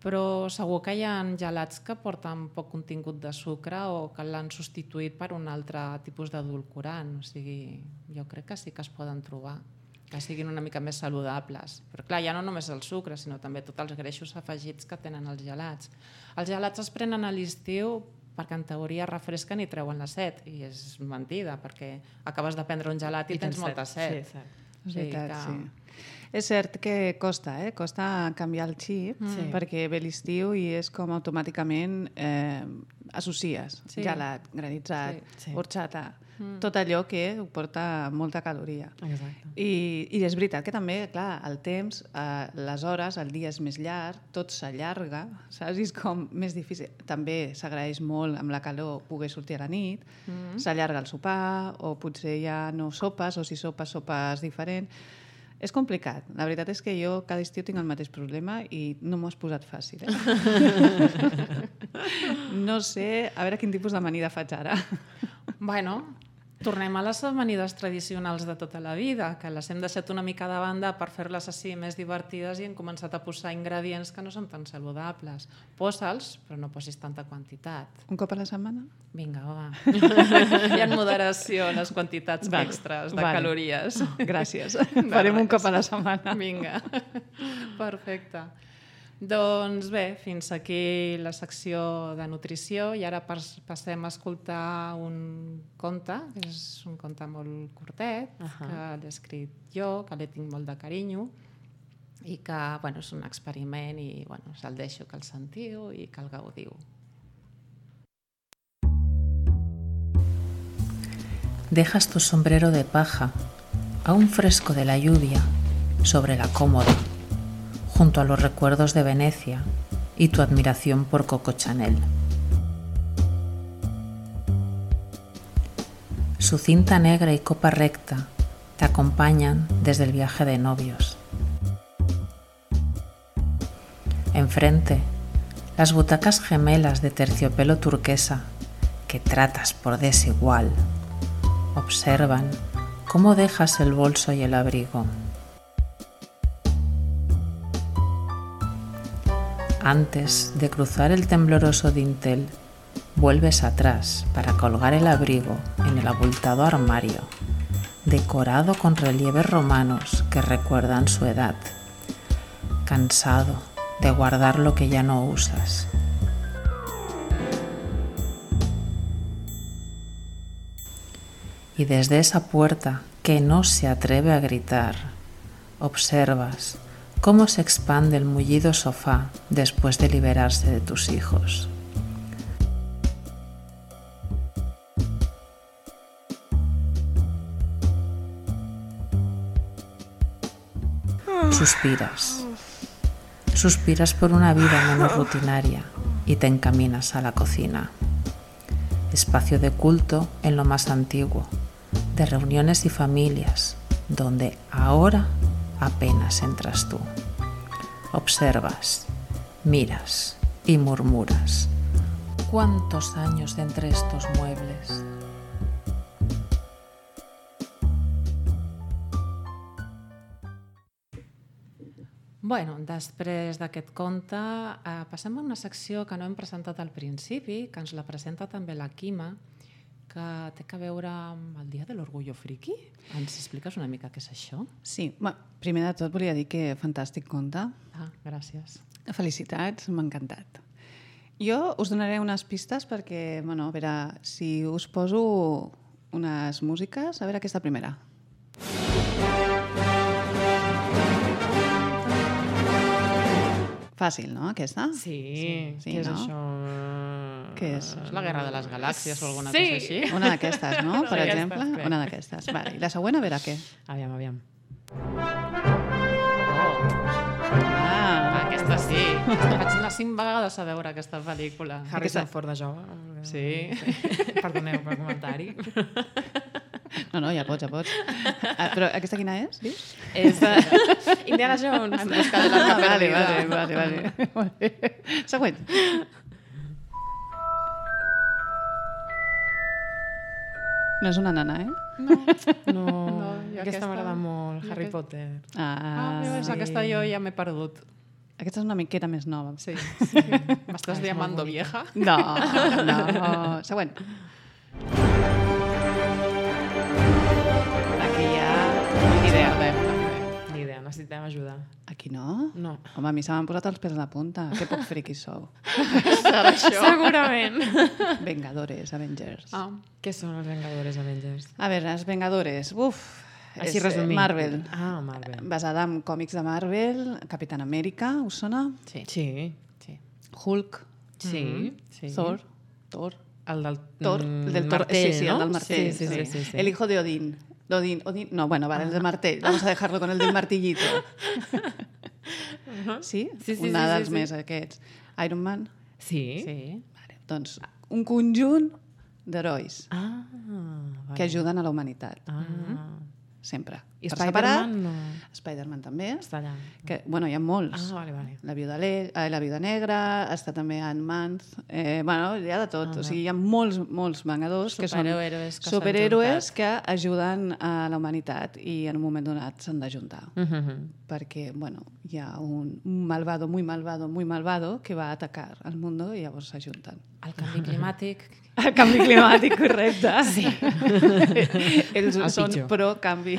però segur que hi ha gelats que porten poc contingut de sucre o que l'han substituït per un altre tipus d'edulcorant. O sigui, jo crec que sí que es poden trobar, que siguin una mica més saludables. Però clar, ja no només el sucre, sinó també tots els greixos afegits que tenen els gelats. Els gelats es prenen a l'estiu perquè en teoria refresquen i treuen la set, i és mentida, perquè acabes de prendre un gelat i tens molta set. Sí. És cert que costa canviar el xip, perquè ve l'estiu i és com automàticament associes gelat, granitzat, horxata, tot allò que ho porta molta caloria. Exacte. I és veritat que també, clar, el temps, les hores, el dia és més llarg, tot s'allarga, saps? I és com més difícil. També s'agraeix molt amb la calor poder sortir a la nit, s'allarga el sopar, o potser ja no sopes, o si sopes diferent. És complicat. La veritat és que jo cada estiu tinc el mateix problema i no m'ho has posat fàcil. No sé, a veure quin tipus d'amanida faig ara. Bueno, tornem a les amanides tradicionals de tota la vida, que les hem deixat una mica de banda per fer-les així més divertides i hem començat a posar ingredients que no són tan saludables. Posa'ls, però no posis tanta quantitat. Un cop a la setmana? Vinga, va. Hi ha moderació en les quantitats extres de calories. Gràcies. Farem un cop a la setmana. Vinga. Perfecte. Doncs bé, fins aquí la secció de nutrició i ara passem a escoltar un conte, que és un conte molt curtet, que l'he escrit jo, que l'he tinc molt de carinyo i que és un experiment i se'l deixo que el sentiu i que el gaudiu. Dejas tu sombrero de paja, aún fresco de la lluvia, sobre la cómoda, junto a los recuerdos de Venecia y tu admiración por Coco Chanel. Su cinta negra y copa recta te acompañan desde el viaje de novios. Enfrente, las butacas gemelas de terciopelo turquesa que tratas por desigual observan cómo dejas el bolso y el abrigo. Antes de cruzar el tembloroso dintel, vuelves atrás para colgar el abrigo en el abultado armario, decorado con relieves romanos que recuerdan su edad, cansado de guardar lo que ya no usas. Y desde esa puerta que no se atreve a gritar, observas cómo se expande el mullido sofá después de liberarse de tus hijos. Suspiras por una vida menos rutinaria y te encaminas a la cocina. Espacio de culto en lo más antiguo, de reuniones y familias, donde ahora apenas entras tú. Observas, miras y murmuras. ¿Cuántos años de entre estos muebles? Bueno, després d'aquest conte passem a una secció que no hem presentat al principi, que ens la presenta també la Quima, que té a veure amb el Dia de l'Orgullo Friki. Ens expliques una mica què és això? Sí, primer de tot volia dir que fantàstic conte. Gràcies. Felicitats, m'ha encantat. Jo us donaré unes pistes perquè, a veure, si us poso unes músiques, a veure aquesta primera. Fàcil, no, aquesta? Sí, sí, què és no? això? Què és? És la Guerra de les Galàxies o alguna cosa així? Una d'aquestes, no? Per d'aquestes, exemple, bé. una d'aquestes. Vale. I la següent, a veure què? Aviam. Aquesta sí. Vaig anar 5 vegades a veure aquesta pel·lícula. Harrison Ford de jove. Sí. Perdoneu pel comentari. No, ja pots. Però aquesta quina és, dius? És de Indiana Jones. En busca de l'arca perdida. Vale. Següent. No és una nana, eh? No, i aquesta m'agrada molt, Harry Potter. És aquesta jo ja m'he perdut. Aquesta és una miqueta més nova. Sí. M'estàs llamando vieja? No. Següent. Aquí hi ha Ni idea, necessitem ajuda. Aquí no? No. Home, a mi se m'han posat els pèls a la punta. Que poc friquis sou. Segurament. Vengadores, Avengers. Què són els Vengadores Avengers? A veure, els Vengadores. Així resumint. Marvel. Marvel. Basada en còmics de Marvel. Capitán Amèrica, us sona? Sí. Hulk. Sí. Thor. El del martell, sí, ¿no? el del martell. Sí. El hijo de Odín. No, bueno, vale, el del martell. Vamos a dejarlo con el del martillito. Sí? Una dels més aquests. Iron Man? Sí. Vale, doncs un conjunt d'herois Vale. que ajuden a la humanitat. Sempre. I Per Spider-Man separat, no. Spider-Man també. Està allà. Que, bueno, hi ha molts. Vale. La Viuda Negra, està també Ant-Man. Bueno, hi ha de tot. O sigui, hi ha molts vengadors que són superhéroes que ajuden a la humanitat i en un moment donat s'han d'ajuntar. Perquè, bueno, hi ha un malvado, muy malvado que va a atacar al mundo i llavors s'ajunten. El canvi climàtic. El canvi climàtic, correcte. Sí. Ells són pitjor. pro-canvi.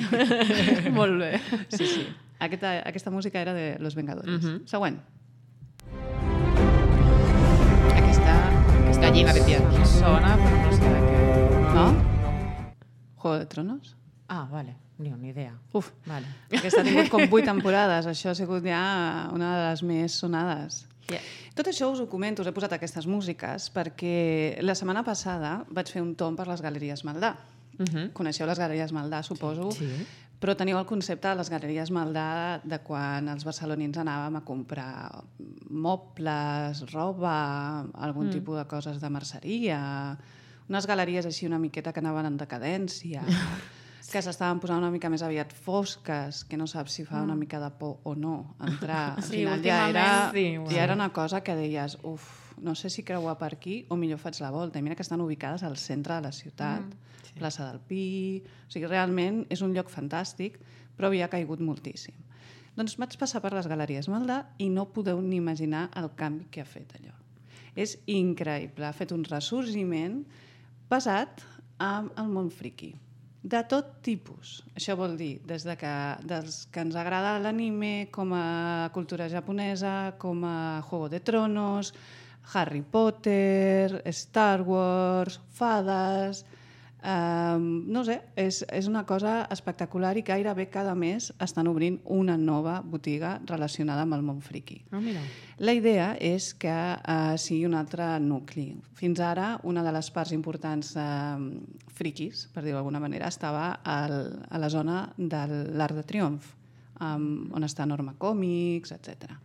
Molt bé. Sí. Aquesta música era de Los Vengadores. Següent. Aquesta Gallina de piedra. Sona, però no sé de què. no? Juego de Tronos? Ah, vale. Ni idea. Uf, Vale. aquesta ha tingut com 8 temporades. Això ha sigut ja una de les més sonades. Tot això us ho comento, us he posat aquestes músiques perquè la setmana passada vaig fer un tomb per les Galeries Maldà. Coneixeu les Galeries Maldà, suposo, Sí. però teniu el concepte de les Galeries Maldà de quan els barcelonins anàvem a comprar mobles, roba, algun tipus de coses de merceria, unes galeries així una miqueta que anaven en decadència, que s'estaven posant una mica més aviat fosques, que no saps si fa una mica de por o no entrar. Al Sí, final ja últimament era una cosa que deies, no sé si creuar per aquí o millor faig la volta. I mira que estan ubicades al centre de la ciutat, plaça del Pi... O sigui, realment és un lloc fantàstic, però havia caigut moltíssim. Doncs vaig passar per les Galeries Maldà i no podeu ni imaginar el canvi que ha fet allò. És increïble, ha fet un ressorgiment basat en el món friqui. De tot tipus. Això vol dir des que ens agrada l'anime, com a cultura japonesa, com a Juego de Tronos, Harry Potter, Star Wars, fades... no sé, és una cosa espectacular i gairebé cada mes estan obrint una nova botiga relacionada amb el món friqui. Mira. La idea és que sigui un altre nucli. Fins ara, una de les parts importants friquis, per dir-ho d'alguna manera, estava a la zona de l'Arc de Triomf, on està Norma Còmics, etc.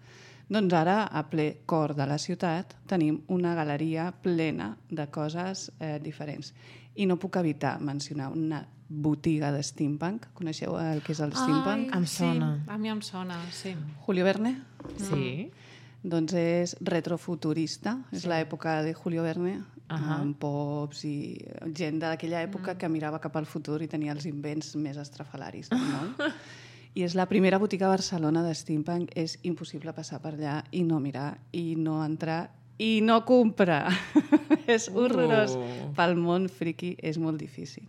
Doncs ara, a ple cor de la ciutat, tenim una galeria plena de coses diferents. I no puc evitar mencionar una botiga de steampunk. Coneixeu el que és el steampunk? Em sona. Sí, a mi em sona, sí. Julio Verne? Sí. Doncs és retrofuturista. És l'època de Julio Verne, amb pops i gent d'aquella època que mirava cap al futur i tenia els invents més estrafalaris del món. I és la primera botiga a Barcelona de steampunk. És impossible passar per allà i no mirar, i no entrar, i no comprar. És horrorós. Pel món friqui és molt difícil.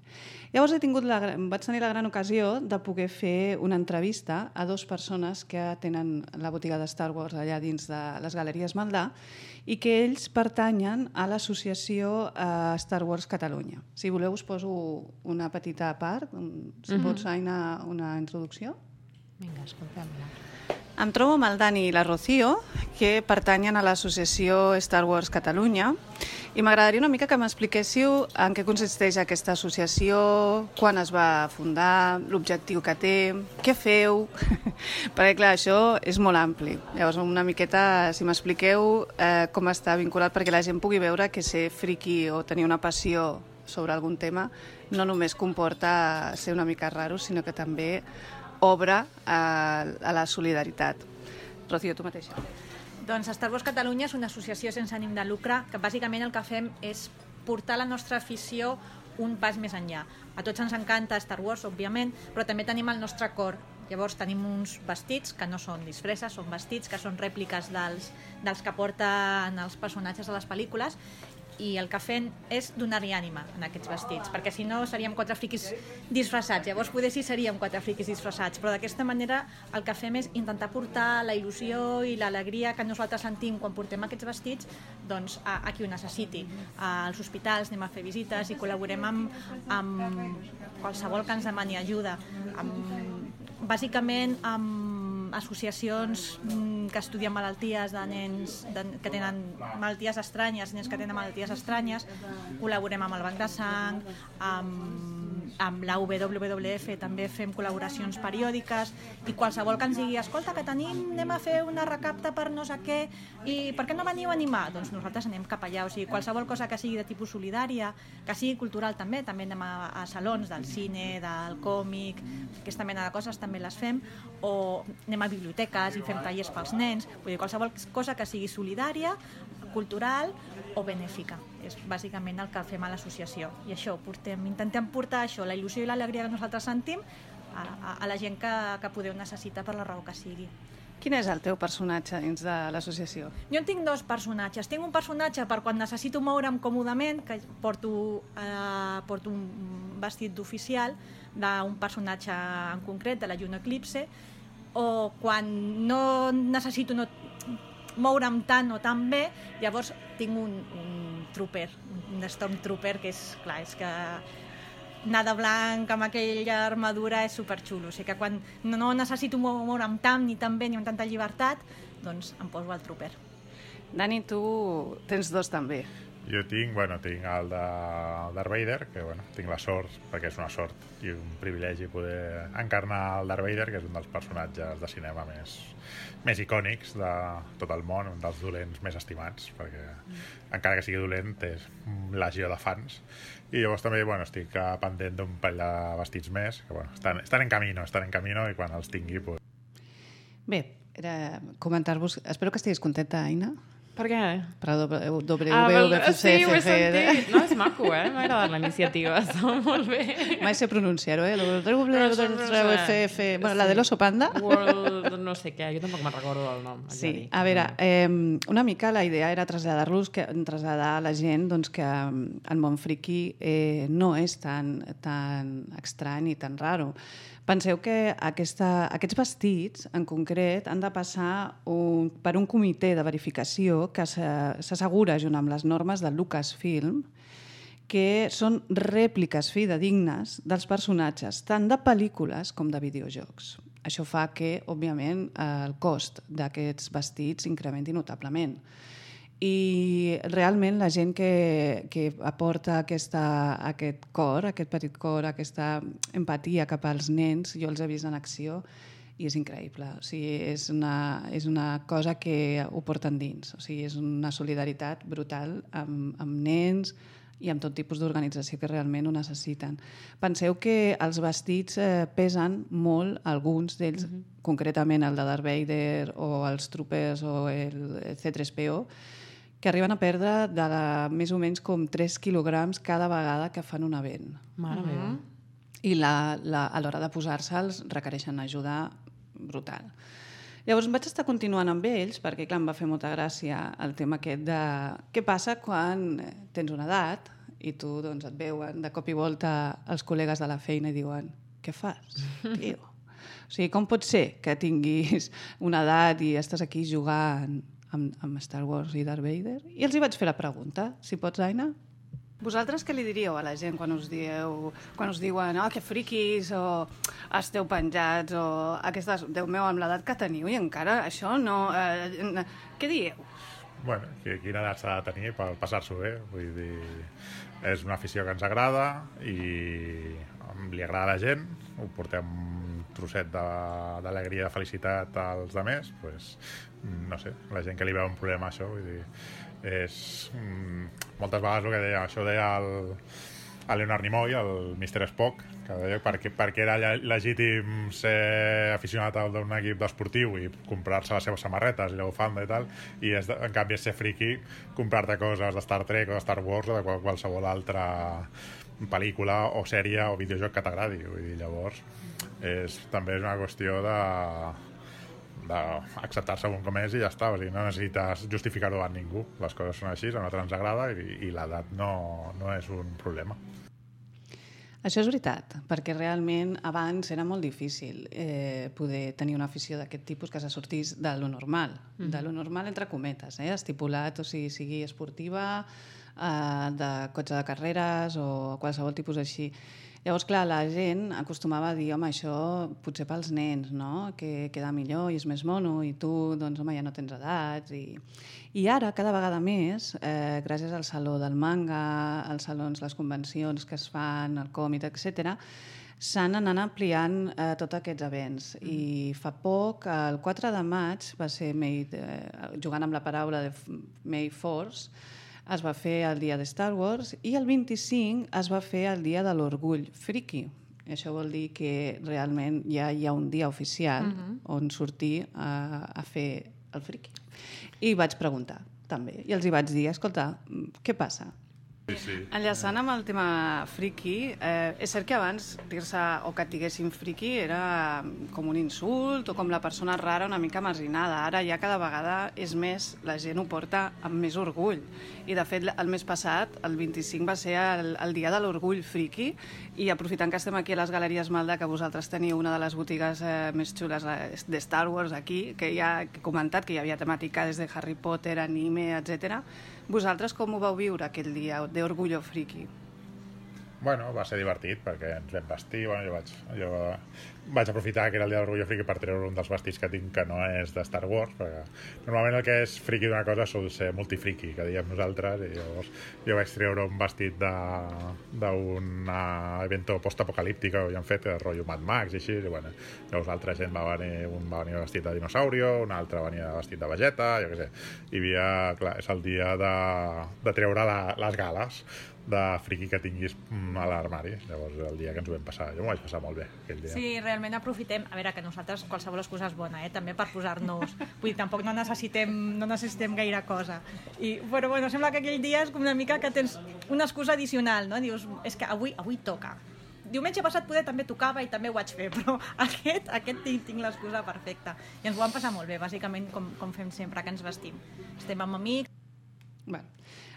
Llavors vaig tenir la gran ocasió de poder fer una entrevista a 2 persones que tenen la botiga de Star Wars allà dins de les Galeries Maldà i que ells pertanyen a l'associació Star Wars Catalunya. Si voleu us poso una petita part. Si pots, Aina, una introducció? Vinga, escoltem-la. Em trobo amb el Dani i la Rocío, que pertanyen a l'associació Star Wars Catalunya, i m'agradaria una mica que m'expliquéssiu en què consisteix aquesta associació, quan es va fundar, l'objectiu que té, què feu, perquè clar, això és molt ampli. Llavors una miqueta, si m'expliqueu com està vinculat, perquè la gent pugui veure que ser friqui o tenir una passió sobre algun tema no només comporta ser una mica raro, sinó que també obre a la solidaritat. Rocío, tu mateixa. Doncs Star Wars Catalunya és una associació sense ànim de lucre que bàsicament el que fem és portar la nostra afició un pas més enllà. A tots ens encanta Star Wars, òbviament, però també tenim el nostre cor. Llavors tenim uns vestits que no són disfresses, són vestits que són rèpliques dels que porten els personatges de les pel·lícules, i el que fem és donar-li ànima en aquests vestits, perquè si no seríem 4 friquis disfressats. Llavors poder sí seríem 4 friquis disfressats, però d'aquesta manera el que fem és intentar portar la il·lusió i l'alegria que nosaltres sentim quan portem aquests vestits doncs, a qui ho necessiti. Als hospitals anem a fer visites i col·laborem amb qualsevol que ens demani ajuda. Bàsicament amb associacions que estudien malalties de nens que tenen malalties estranyes, nens que tenen malalties estranyes. Col·laborem amb el Banc de Sang, amb la WWF també fem col·laboracions periòdiques, i qualsevol que ens digui escolta, que anem a fer una recapta per no sé què, i per què no veniu a animar? Doncs nosaltres anem cap allà. O sigui, qualsevol cosa que sigui de tipus solidària, que sigui cultural també anem a salons del cine, del còmic, aquesta mena de coses també les fem, o anem a biblioteques i fem tallers pels nens. Vull dir, qualsevol cosa que sigui solidària, cultural o benèfica. És bàsicament el que fem a l'associació. I això, intentem portar això, la il·lusió i l'alegria que nosaltres sentim a la gent que podeu necessitar per la raó que sigui. Quin és el teu personatge dins de l'associació? Jo en tinc dos personatges. Tinc un personatge per quan necessito moure'm còmodament, que porto un vestit d'oficial d'un personatge en concret, de la Juno Eclipse, o quan no necessito moure'm tant o tan bé, llavors tinc un trooper, un stormtrooper, que és clar, és que anar de blanc amb aquella armadura és superxulo. O sigui que quan no necessito moure'm tant ni tan bé ni amb tanta llibertat, doncs em poso el trooper. Dani, tu tens dos també. Jo tinc el de Darth Vader, que tinc la sort, perquè és una sort i un privilegi poder encarnar el Darth Vader, que és un dels personatges de cinema més icònics de tot el món, un dels dolents més estimats, perquè encara que sigui dolent és legió de fans. I llavors també estic pendent d'un parell de vestits més, que estan en camino, i quan els tingui... Bé, era comentar-vos... Espero que estiguis contenta, Aina. Per què? Per WWF. Sí, ho he sentit. No, és maco, m'ha agradat la iniciativa, està molt bé. Mai sé pronunciar-ho, WWF. Bueno, la de l'oso panda. World no sé què, jo tampoc me'n recordo el nom. Sí, a veure, una mica la idea era traslladar a la gent que el món friqui no és tan estrany i tan raro. Penseu que aquests vestits, en concret, han de passar per un comitè de verificació que s'assegura, junt amb les normes de Lucasfilm, que són rèpliques fidedignes dels personatges, tant de pel·lícules com de videojocs. Això fa que, òbviament, el cost d'aquests vestits incrementi notablement. I realment la gent que aporta aquest cor, aquest petit cor, aquesta empatia cap als nens, jo els he vist en acció i és increïble. O sigui, és una cosa que ho porten dins. O sigui, és una solidaritat brutal amb nens i amb tot tipus d'organització que realment ho necessiten. Penseu que els vestits pesen molt, alguns d'ells, concretament el de Darth Vader o els troopers o el C-3PO, que arriben a perdre més o menys com 3 quilograms cada vegada que fan un event. Mare meva. I a l'hora de posar-se'ls requereixen ajuda brutal. Llavors vaig estar continuant amb ells perquè, clar, em va fer molta gràcia el tema aquest de què passa quan tens una edat i tu et veuen de cop i volta els col·legues de la feina i diuen què fas, tio? O sigui, com pot ser que tinguis una edat i estàs aquí jugant amb Star Wars i Darth Vader? I els hi vaig fer la pregunta, si pots, Aina. Vosaltres què li diríeu a la gent quan us diuen que friquis o esteu penjats o aquestes... Déu meu, amb l'edat que teniu i encara això no... Què dieu? Quina edat s'ha de tenir per passar-s'ho bé? Vull dir, és una afició que ens agrada i li agrada a la gent, ho portem un trosset d'alegria i de felicitat als altres, no sé, la gent que li veu un problema a això, vull dir, és moltes vegades el que deia, això deia el Leonard Nimoy, el Mr. Spock, que deia perquè era legítim ser aficionat d'un equip d'esportiu i comprar-se les seves samarretes i la bufanda i tal, i en canvi és ser friki comprar-te coses de Star Trek o de Star Wars o de qualsevol altra pel·lícula o sèrie o videojoc que t'agradi. Vull dir, llavors també és una qüestió d'acceptar-se com és i ja està. O sigui, no necessites justificar-ho a ningú. Les coses són així, a nosaltres ens agrada i l'edat no és un problema. Això és veritat, perquè realment abans era molt difícil poder tenir una afició d'aquest tipus que se sortís de lo normal, de lo normal entre cometes, estipulat, o sigui esportiva, de cotxe de carreres o qualsevol tipus així. Llavors, clar, la gent acostumava a dir, home, això potser pels nens, no?, que queda millor i és més mono, i tu, doncs, home, ja no tens edats. I ara, cada vegada més, gràcies al Saló del Manga, als salons, les convencions que es fan, el còmic, etc., s'han anat ampliant tots aquests events. I fa poc, el 4 de maig, va ser, jugant amb la paraula de May Force, es va fer el dia de Star Wars i el 25 es va fer el dia de l'orgull friki. Això vol dir que realment ja hi ha un dia oficial on sortir a fer el friki. I vaig preguntar, també, i els hi vaig dir, escolta, què passa? Sí. Enllaçant amb el tema friki, és cert que abans dir-se o que et diguessin friki era com un insult o com la persona rara una mica marginada. Ara ja cada vegada és més, la gent ho porta amb més orgull. I de fet el mes passat, el 25, va ser el dia de l'orgull friki, i aprofitant que estem aquí a les Galeries Malda, que vosaltres teniu una de les botigues més xules de Star Wars aquí, que ja he comentat que hi havia temàtica des de Harry Potter, anime, etc. Vosaltres com ho vau viure aquell dia d'Orgullo Friki? Bueno, va ser divertit perquè ens vam vestir. Bueno, jo vaig aprofitar que era el dia d'Orgullo Friki per treure un dels vestits que tinc que no és de Star Wars, perquè normalment el que és friki d'una cosa sol ser multifriki, que diem nosaltres, i llavors jo vaig treure un vestit d'un evento post-apocalíptic que havíem fet, de rotllo Mad Max i així, i bueno, llavors l'altra gent va venir vestit de dinosaurio, un altre venia vestit de Vegeta, jo què sé. Hi havia, clar, és el dia de treure les gales de friki que tinguis a l'armari. Llavors, el dia que ens ho vam passar, jo m'ho vaig passar molt bé aquell dia. Sí, realment aprofitem, a veure, que nosaltres qualsevol excusa és bona, també per posar-nos, vull dir, tampoc no necessitem gaire cosa. Però bueno, sembla que aquell dia és com una mica que tens una excusa addicional, no? Dius, és que avui toca. Diumenge passat poder també tocava i també ho vaig fer, però aquest tinc l'excusa perfecta. I ens ho vam passar molt bé, bàsicament com fem sempre, que ens vestim. Estem amb amics. Bueno,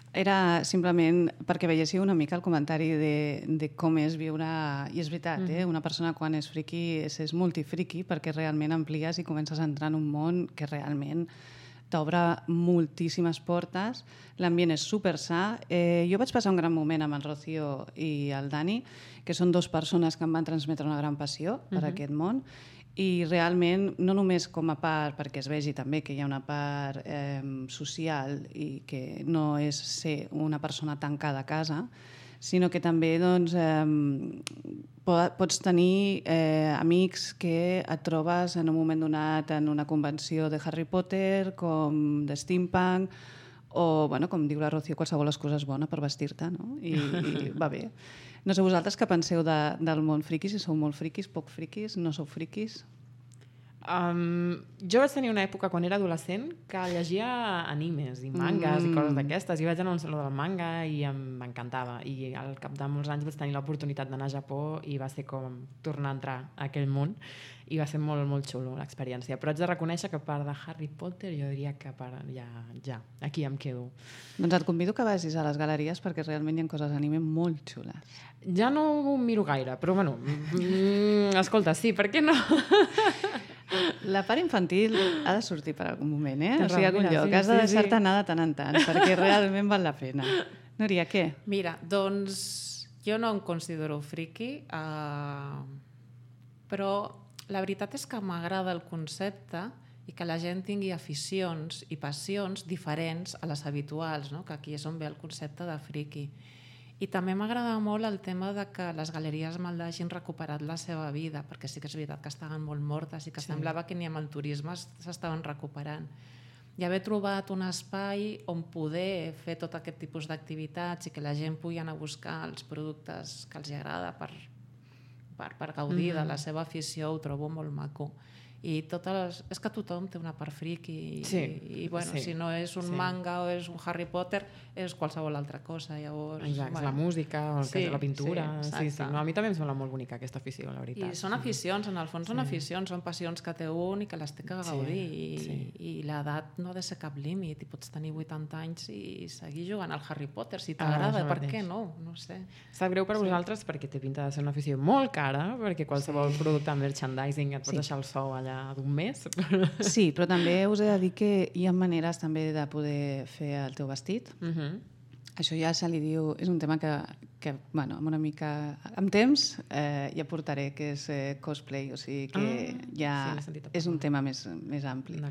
era simplement perquè veiéssiu una mica el comentari de com és viure, i és veritat, una persona quan és friki és multifriki, perquè realment amplies i comences a entrar en un món que realment t'obre moltíssimes portes, l'ambient és super sa. Jo vaig passar un gran moment amb el Rocío i el Dani, que són dues persones que em van transmetre una gran passió per aquest món, i realment, no només com a part, perquè es vegi també que hi ha una part social i que no és ser una persona tancada a casa, sinó que també doncs, pots tenir amics que et trobes en un moment donat en una convenció de Harry Potter, com de steampunk, o, bueno, com diu la Rocío, qualsevol excusa és bona per vestir-te, no? I va bé. No sé vosaltres què penseu del món friki, si sou molt friquis, poc friquis, no sou friquis? Jo vaig tenir una època quan era adolescent que llegia animes i mangas i coses d'aquestes, i vaig anar a un saló del manga i m'encantava, i al cap de molts anys vaig tenir l'oportunitat d'anar a Japó i va ser com tornar a entrar a aquell món, i va ser molt, molt xulo l'experiència. Però haig de reconèixer que a part de Harry Potter jo diria que ja, aquí em quedo. Doncs et convido que vagis a les galeries perquè realment hi ha coses d'anime molt xules. Ja no ho miro gaire, però bueno, escolta, sí, per què no? La part infantil ha de sortir per algun moment, eh? O sigui, algun lloc. Has de deixar-te anar de tant en tant, perquè realment val la pena. Núria, què? Mira, doncs jo no em considero friki, però la veritat és que m'agrada el concepte i que la gent tingui aficions i passions diferents a les habituals, no? Que aquí és on ve el concepte de friki. I també m'agrada molt el tema de que les galeries Malda hagin recuperat la seva vida, perquè sí que és veritat que estaven molt mortes i que semblava que ni amb el turisme s'estaven recuperant. I haver trobat un espai on poder fer tot aquest tipus d'activitats i que la gent pugui anar a buscar els productes que els agrada per gaudir de la seva afició, ho trobo molt maco. I és que tothom té una part friki i bueno, si no és un manga o és un Harry Potter, és qualsevol altra cosa. Llavors, exacte, la música, la pintura. Sí. No, a mi també em sembla molt bonica aquesta afició, la veritat. I són aficions, en el fons són aficions, són passions que té un i que les té que gaudir. I l'edat no ha de ser cap límit, i pots tenir 80 anys i seguir jugant al Harry Potter, si t'agrada, per què no? No sé. Sap greu per vosaltres perquè té pinta de ser una afició molt cara, perquè qualsevol producte amb merchandising et pots deixar el sou allà d'un mes. Sí, però també us he de dir que hi ha maneres també de poder fer el teu vestit. Això ja se li diu... És un tema que bueno, amb una mica... Amb temps ja portaré, que és cosplay, o sigui que ja és un tema més ampli.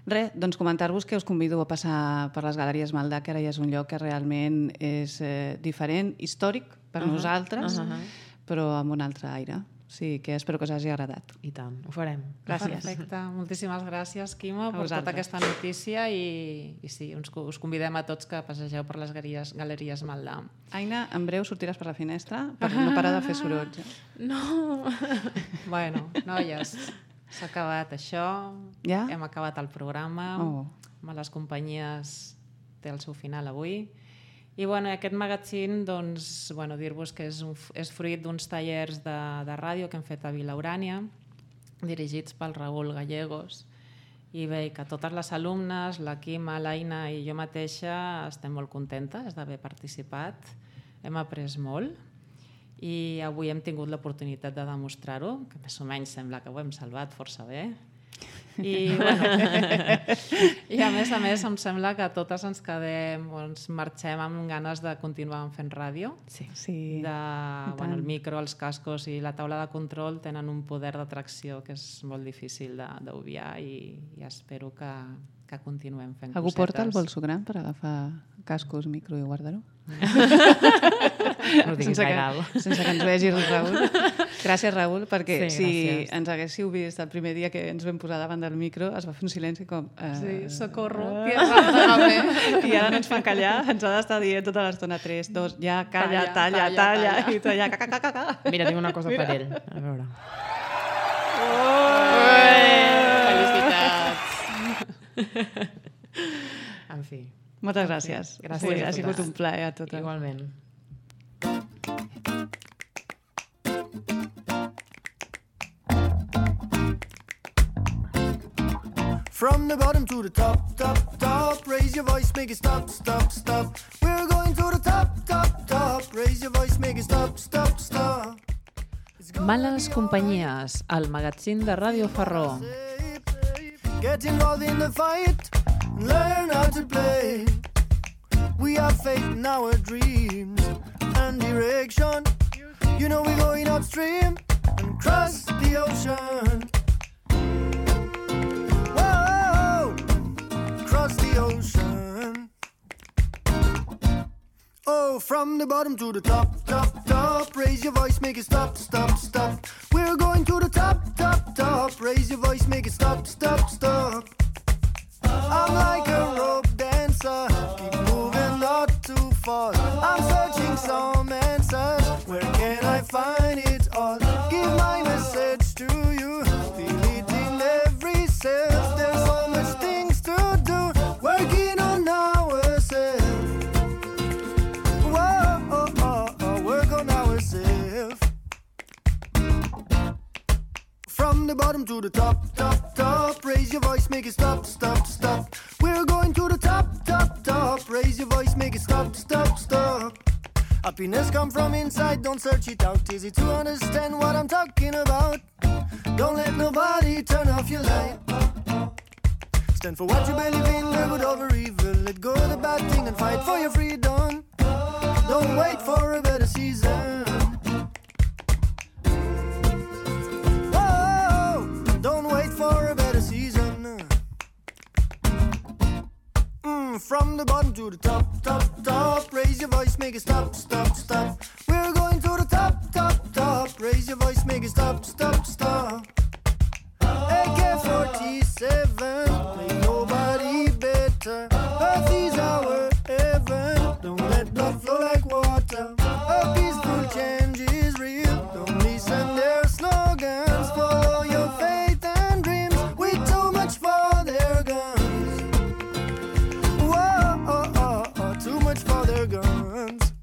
Res, doncs comentar-vos que us convido a passar per les Galeries Maldà, que ara ja és un lloc que realment és diferent, històric per nosaltres, però amb un altre aire. Sí, que espero que us hagi agradat. I tant, ho farem. Gràcies. Perfecte. Moltíssimes gràcies, Quima, per tota aquesta notícia i sí, us convidem a tots que passegeu per les Galeries Maldà. Aina, en breu sortiràs per la finestra per no parar de fer sorolls. No! Bueno, noies, s'ha acabat això. Ja? Hem acabat el programa. Males Companyies té el seu final avui. I aquest magazín, doncs, dir-vos que és fruit d'uns tallers de ràdio que hem fet a Vila Urània, dirigits pel Raül Gallegos. I bé, que totes les alumnes, la Quima, l'Aina i jo mateixa estem molt contentes d'haver participat. Hem après molt i avui hem tingut l'oportunitat de demostrar-ho, que més o menys sembla que ho hem salvat força bé. I a més em sembla que totes ens quedem, ens marxem amb ganes de continuar fent ràdio. Sí. El micro, els cascos i la taula de control tenen un poder d'atracció que és molt difícil d'obviar i espero que continuem fent Algú cosetes. porta el bolso gran per agafar cascos, micro i guardar-ho? No diguis gaire alt. Sense que ens vegi el Raül. Gràcies, Raül, perquè si ens haguéssiu vist el primer dia que ens vam posar davant del micro es va fer un silenci com... Sí, socorro. I ara no ens fan callar, ens ha d'estar dient tota l'estona 3, 2, ja, calla, talla, i tu allà, caca. Mira, tinc una cosa per ell. A veure. Felicitats. En fi. Moltes gràcies. Gràcies. Ha sigut un plaer a totes. Igualment. From the bottom to the top, top, top. Raise your voice, make it stop, stop, stop. We're going to the top, top, top. Raise your voice, make it stop, stop, stop. Males Companyies, el magazín de Ràdio Farró. Get involved in the fight, learn how to play. We have faith in our dreams and direction. You know we're going upstream and cross the ocean. Whoa, cross the ocean. Oh, from the bottom to the top, top, top. Raise your voice, make it stop, stop, stop. We're going to the top, top, top. Raise your voice, make it stop, stop, stop. I'm like a rope dancer, keep moving not too far. I'm searching some answers, where can I find it all? Give my message to you, feel it in every cell. There's so much things to do, working on ourselves. Whoa, work on ourselves. From the bottom to the top, top, top. Raise your voice, make it stop, stop, stop. We're going to the top, top, top. Raise your voice, make it stop, stop, stop. Happiness come from inside, don't search it out. Easy to understand what I'm talking about. Don't let nobody turn off your light. Stand for what you believe in, live good over evil. Let go of the bad thing and fight for your freedom. Don't wait for a better season. Don't wait for a better season. From the bottom to the top, top, top. Raise your voice, make it stop, stop, stop. We're going to the top, top, top. Raise your voice, make it stop, stop, stop. AK-47, ain't nobody better. Earth is our heaven. Don't let blood flow like water. A peaceful change is real. Don't listen their slogans. Follow your faith and dreams with too much for their guns. Whoa, too much for their guns.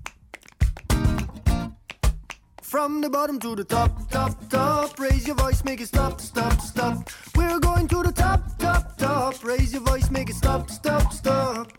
From the bottom to the top, top, top. Raise your voice, make it stop, stop, stop. We're going to the top, top, top. Raise your voice, make it stop, stop, stop.